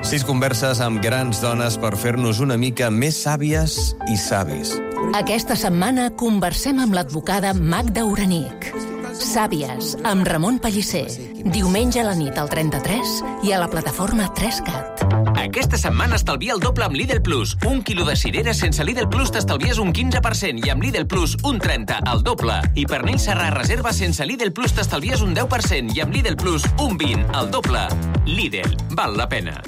6 converses amb grans dones per fer-nos una mica més sàvies i savis. Aquesta setmana conversem amb l'advocada Magda Uranic. Sàvies, amb Ramon Pellicer. Diumenge a la nit al 33 i a la plataforma 3CAT. Aquesta setmana estalvia el doble amb Lidl Plus. 1 quilo de cireres sense Lidl Plus t'estalvies un 15% i amb Lidl Plus un 30%, el doble. I pernil serrà reserva sense Lidl Plus t'estalvies un 10% i amb Lidl Plus un 20%, el doble. Lidl, val la pena.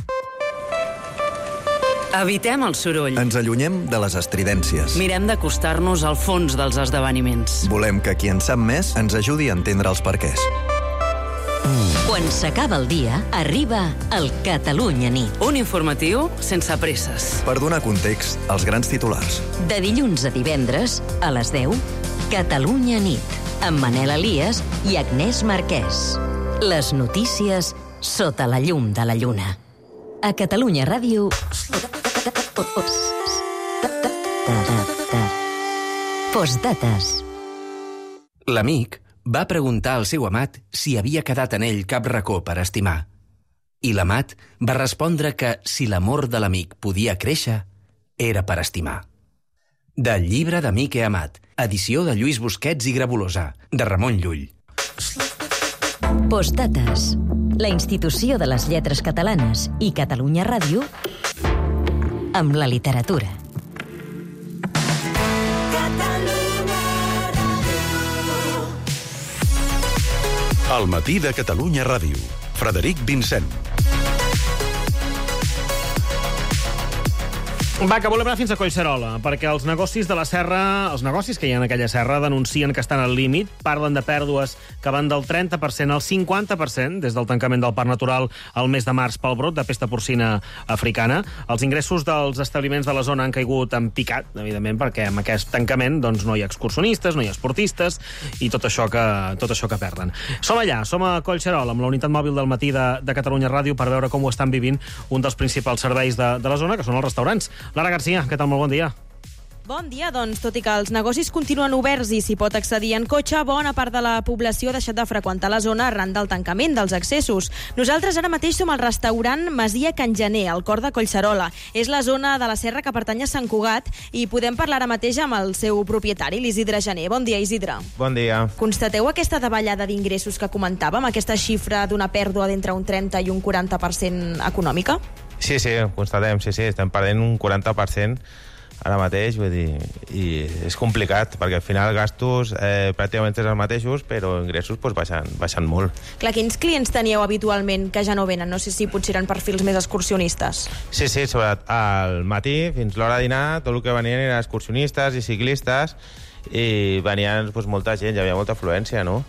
Evitem el soroll. Ens allunyem de les estridències. Mirem d'acostar-nos al fons dels esdeveniments. Volem que qui en sap més ens ajudi a entendre els perquès. Quan s'acaba el dia, arriba el Catalunya Nit. Un informatiu sense presses. Per donar context als grans titulars. De dilluns a divendres, a les 10, Catalunya Nit, amb Manel Elias i Agnès Marquès. Les notícies sota la llum de la lluna. A Catalunya Ràdio... Postdates. L'amic va preguntar al seu amat si havia quedat en ell cap racó per estimar. I l'amat va respondre que si l'amor de l'amic podia créixer, era per estimar. Del llibre d'Amic i Amat, edició de Lluís Busquets i Grabolosa, de Ramon Llull. Postdates. La institució de les lletres catalanes i Catalunya Ràdio amb la literatura. El matí de Catalunya Ràdio. Frederic Vincent. Va, que volem anar fins a Collserola, perquè els negocis de la serra, els negocis que hi ha en aquella serra, denuncien que estan al límit, parlen de pèrdues que van del 30% al 50% des del tancament del Parc Natural al mes de març pel brot de pesta porcina africana. Els ingressos dels establiments de la zona han caigut en picat, evidentment, perquè amb aquest tancament doncs, no hi ha excursionistes, no hi ha esportistes i tot això que perden. Som allà, som a Collserola, amb la unitat mòbil del matí de Catalunya Ràdio per veure com ho estan vivint un dels principals serveis de la zona, que són els restaurants. Lara Garcia, què tal? Molt bon dia. Bon dia, doncs, tot i que els negocis continuen oberts i s'hi pot accedir en cotxe, bona part de la població ha deixat de freqüentar la zona arran del tancament dels accessos. Nosaltres ara mateix som al restaurant Masia Can Gener, al cor de Collserola. És la zona de la serra que pertany a Sant Cugat i podem parlar ara mateix amb el seu propietari, l'Isidre Gener. Bon dia, Isidre. Bon dia. Constateu aquesta davallada d'ingressos que comentàvem, aquesta xifra d'una pèrdua d'entre un 30 i un 40% econòmica? Sí, constatem, sí, estem perdent un 40% ara mateix, vull dir, i és complicat, perquè al final gastos pràcticament és els mateixos, però ingressos pues, baixen molt. Clar, quins clients teníeu habitualment que ja no venen? No sé si potser eren perfils més excursionistes. Sí, sobretot al matí, fins l'hora de dinar, tot el que venien eren excursionistes i ciclistes, i venien pues, molta gent, hi havia molta afluència, no?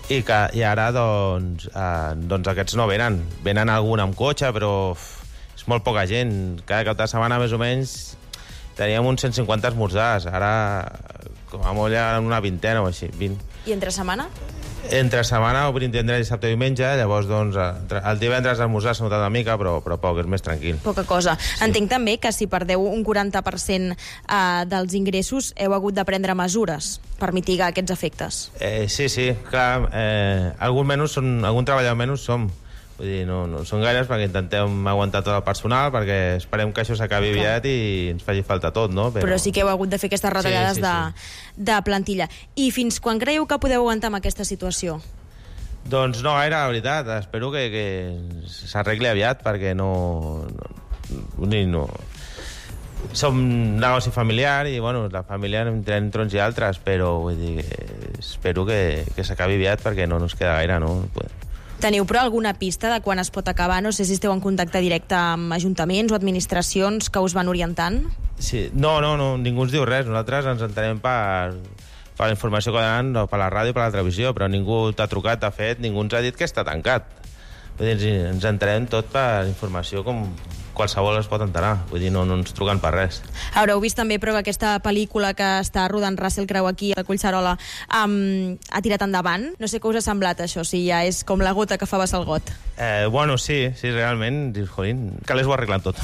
I ara, doncs aquests no venen. Venen algun amb cotxe, però és molt poca gent. Cada cap de setmana, més o menys, teníem uns 150 esmorzars. Ara, com a molt, ja una vintena o així, 20. I entre setmana? Entre setmana, obrim tindrà dissabte i diumenge, llavors, doncs, el divendres l'esmorzar s'ha notat una mica, però poc, és més tranquil. Poca cosa. Sí. Entenc també que si perdeu un 40% dels ingressos, heu hagut de prendre mesures per mitigar aquests efectes. Sí, clar. Algun treballador menys som. Vull dir, no són gaires perquè intentem aguantar tot el personal, perquè esperem que això s'acabi aviat i ens faci falta tot, no? Però sí que heu hagut de fer aquestes retallades de plantilla. I fins quan creieu que podeu aguantar amb aquesta situació? Doncs no gaire, la veritat. Espero que s'arregli aviat, perquè no. Som negoci familiar i, bueno, la família entre uns i altres, però vull dir, espero que s'acabi aviat perquè no ens queda gaire, no? Teniu, però, alguna pista de quan es pot acabar? No sé si esteu en contacte directe amb ajuntaments o administracions que us van orientant? Sí, no, ningú ens diu res. Nosaltres ens entenem per la informació que donen per la ràdio i per la televisió, però ningú t'ha trucat, t'ha fet, ningú ens ha dit que està tancat. Vull dir, ens entenem tot per informació com qualsevol es pot enterar. Vull dir, no ens truquen per res. Haureu vist també, però, que aquesta pel·lícula que està rodant Russell Crowe aquí a Collserola ha tirat endavant. No sé què us ha semblat això, si ja és com la gota que fa vessar el got. Bueno, sí, realment, dius, jolín, cal ho arreglant tot.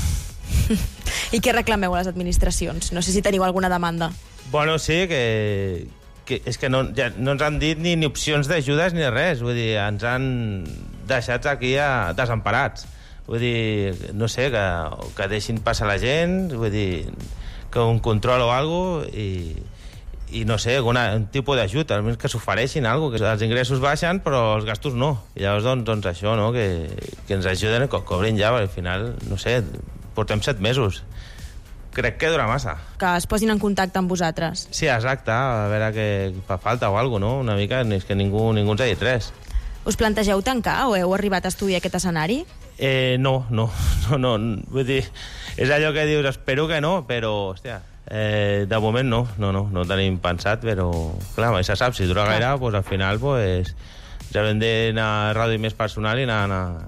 I què reclameu a les administracions? No sé si teniu alguna demanda. Bueno, sí, que és que no ens han dit ni opcions d'ajudes ni res. Vull dir, ens han deixat aquí desemparats. Vull dir, no sé, que deixin passar la gent, vull dir, que un control o alguna cosa, i no sé, un tipus d'ajut, almenys que s'ofereixin alguna cosa, que els ingressos baixen però els gastos no. I llavors, doncs això, no?, que ens ajuden, que cobrin ja, perquè al final, no sé, portem 7 mesos. Crec que dura massa. Que es posin en contacte amb vosaltres. Sí, exacte, a veure què fa falta o alguna cosa, no? Una mica, és que ningú ens ha dit res. Us plantegeu tancar o heu arribat a estudiar aquest escenari? No. Vull dir, és allò que dius, espero que no, però, hòstia, de moment no tenim pensat, però, clar, mai se sap, si dura gaire, doncs al final, doncs, ja hem d'anar a reduir més personal i anar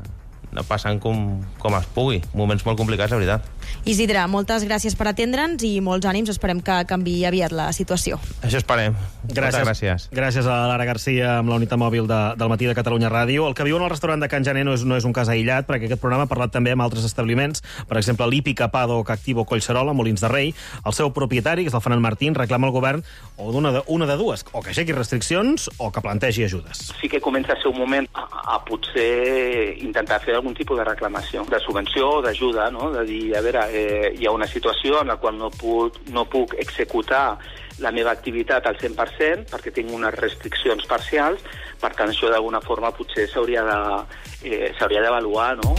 passant com es pugui. Moments molt complicats, la veritat. Isidre, moltes gràcies per atendre'ns i molts ànims. Esperem que canviï aviat la situació. Això esperem. Gràcies. Gràcies a Lara Garcia amb la unitat mòbil del Matí de Catalunya Ràdio. El que viuen al restaurant de Can Jané no és un cas aïllat, perquè aquest programa ha parlat també amb altres establiments, per exemple, l'Hípica Paddock Activo Collserola, Molins de Rei. El seu propietari, que és el Ferran Martín, reclama al govern o una de dues, o que aixequi restriccions o que plantegi ajudes. Sí que comença a ser un moment a potser intentar fer algun tipus de reclamació, de subvenció o d'ajuda, no? De dir, a veure, hi ha una situació en la qual no puc executar la meva activitat al 100% perquè tinc unes restriccions parcials, per tant això d'alguna forma potser s'hauria d'avaluar, no?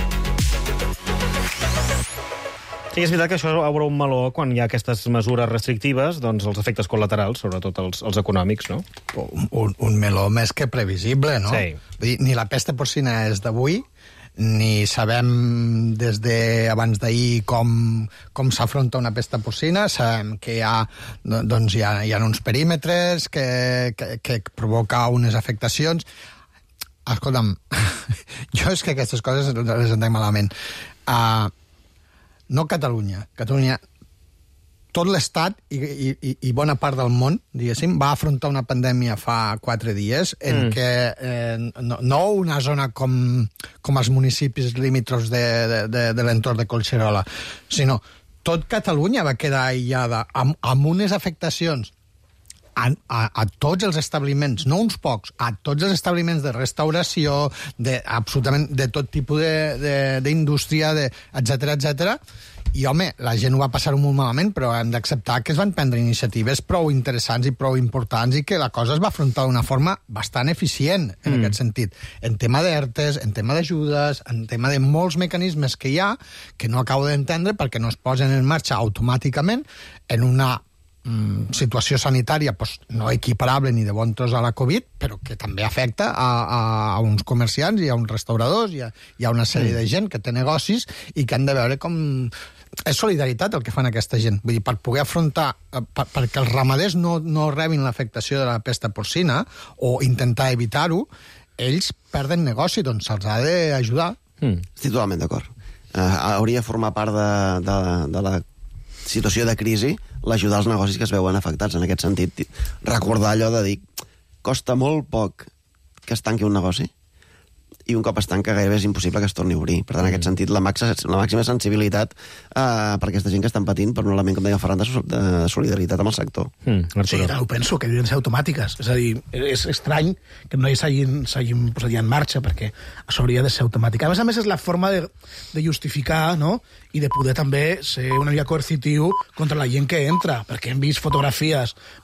Sí, és veritat que això obre un meló quan hi ha aquestes mesures restrictives, doncs els efectes col·laterals, sobretot els econòmics, no? Un meló més que previsible, no? Sí. Vull dir, ni la pesta porcina és d'avui, ni sabem des d'abans d'ahir com s'afronta una pesta porcina. Sabem que hi ha uns perímetres que provoca unes afectacions. Escolta'm, jo és que aquestes coses les entenc malament. No Catalunya, tot l'Estat i bona part del món, diguéssim, va afrontar una pandèmia fa 4 dies en què no una zona com els municipis limítrofs de l'entorn de Collserola, sinó tot Catalunya va quedar aïllada amb unes afectacions a tots els establiments, no uns pocs, a tots els establiments de restauració, absolutament de tot tipus d'indústria, etcètera, I, home, la gent ho va passar molt malament, però hem d'acceptar que es van prendre iniciatives prou interessants i prou importants i que la cosa es va afrontar d'una forma bastant eficient, en aquest sentit. En tema d'ERTEs, en tema d'ajudes, en tema de molts mecanismes que hi ha, que no acabo d'entendre perquè no es posen en marxa automàticament en una situació sanitària no equiparable ni de bon tros a la Covid, però que també afecta a uns comerciants i a uns restauradors i a una sèrie de gent que té negocis i que han de veure com... És solidaritat el que fan aquesta gent. Vull dir, per poder afrontar... perquè els ramaders no rebin l'afectació de la pesta porcina o intentar evitar-ho, ells perden negoci, doncs se'ls ha d'ajudar. Estic totalment d'acord. Hauria de formar part de la situació de crisi l'ajudar als negocis que es veuen afectats. En aquest sentit, recordar allò de dir costa molt poc que es tanqui un negoci i un cop es tanca gairebé és impossible que es torni a obrir. Per tant, en aquest sentit, la màxima sensibilitat per aquesta gent que estan patint per un element, com deia Ferran, de solidaritat amb el sector. Sí, ho penso, que deuen ser automàtiques. És a dir, és estrany que no s'hagin posat ja en marxa, perquè això hauria de ser automàtic. A més, és la forma de justificar, no?, i de poder també ser una mica coercitiu contra la gent que entra, perquè hem vist fotografies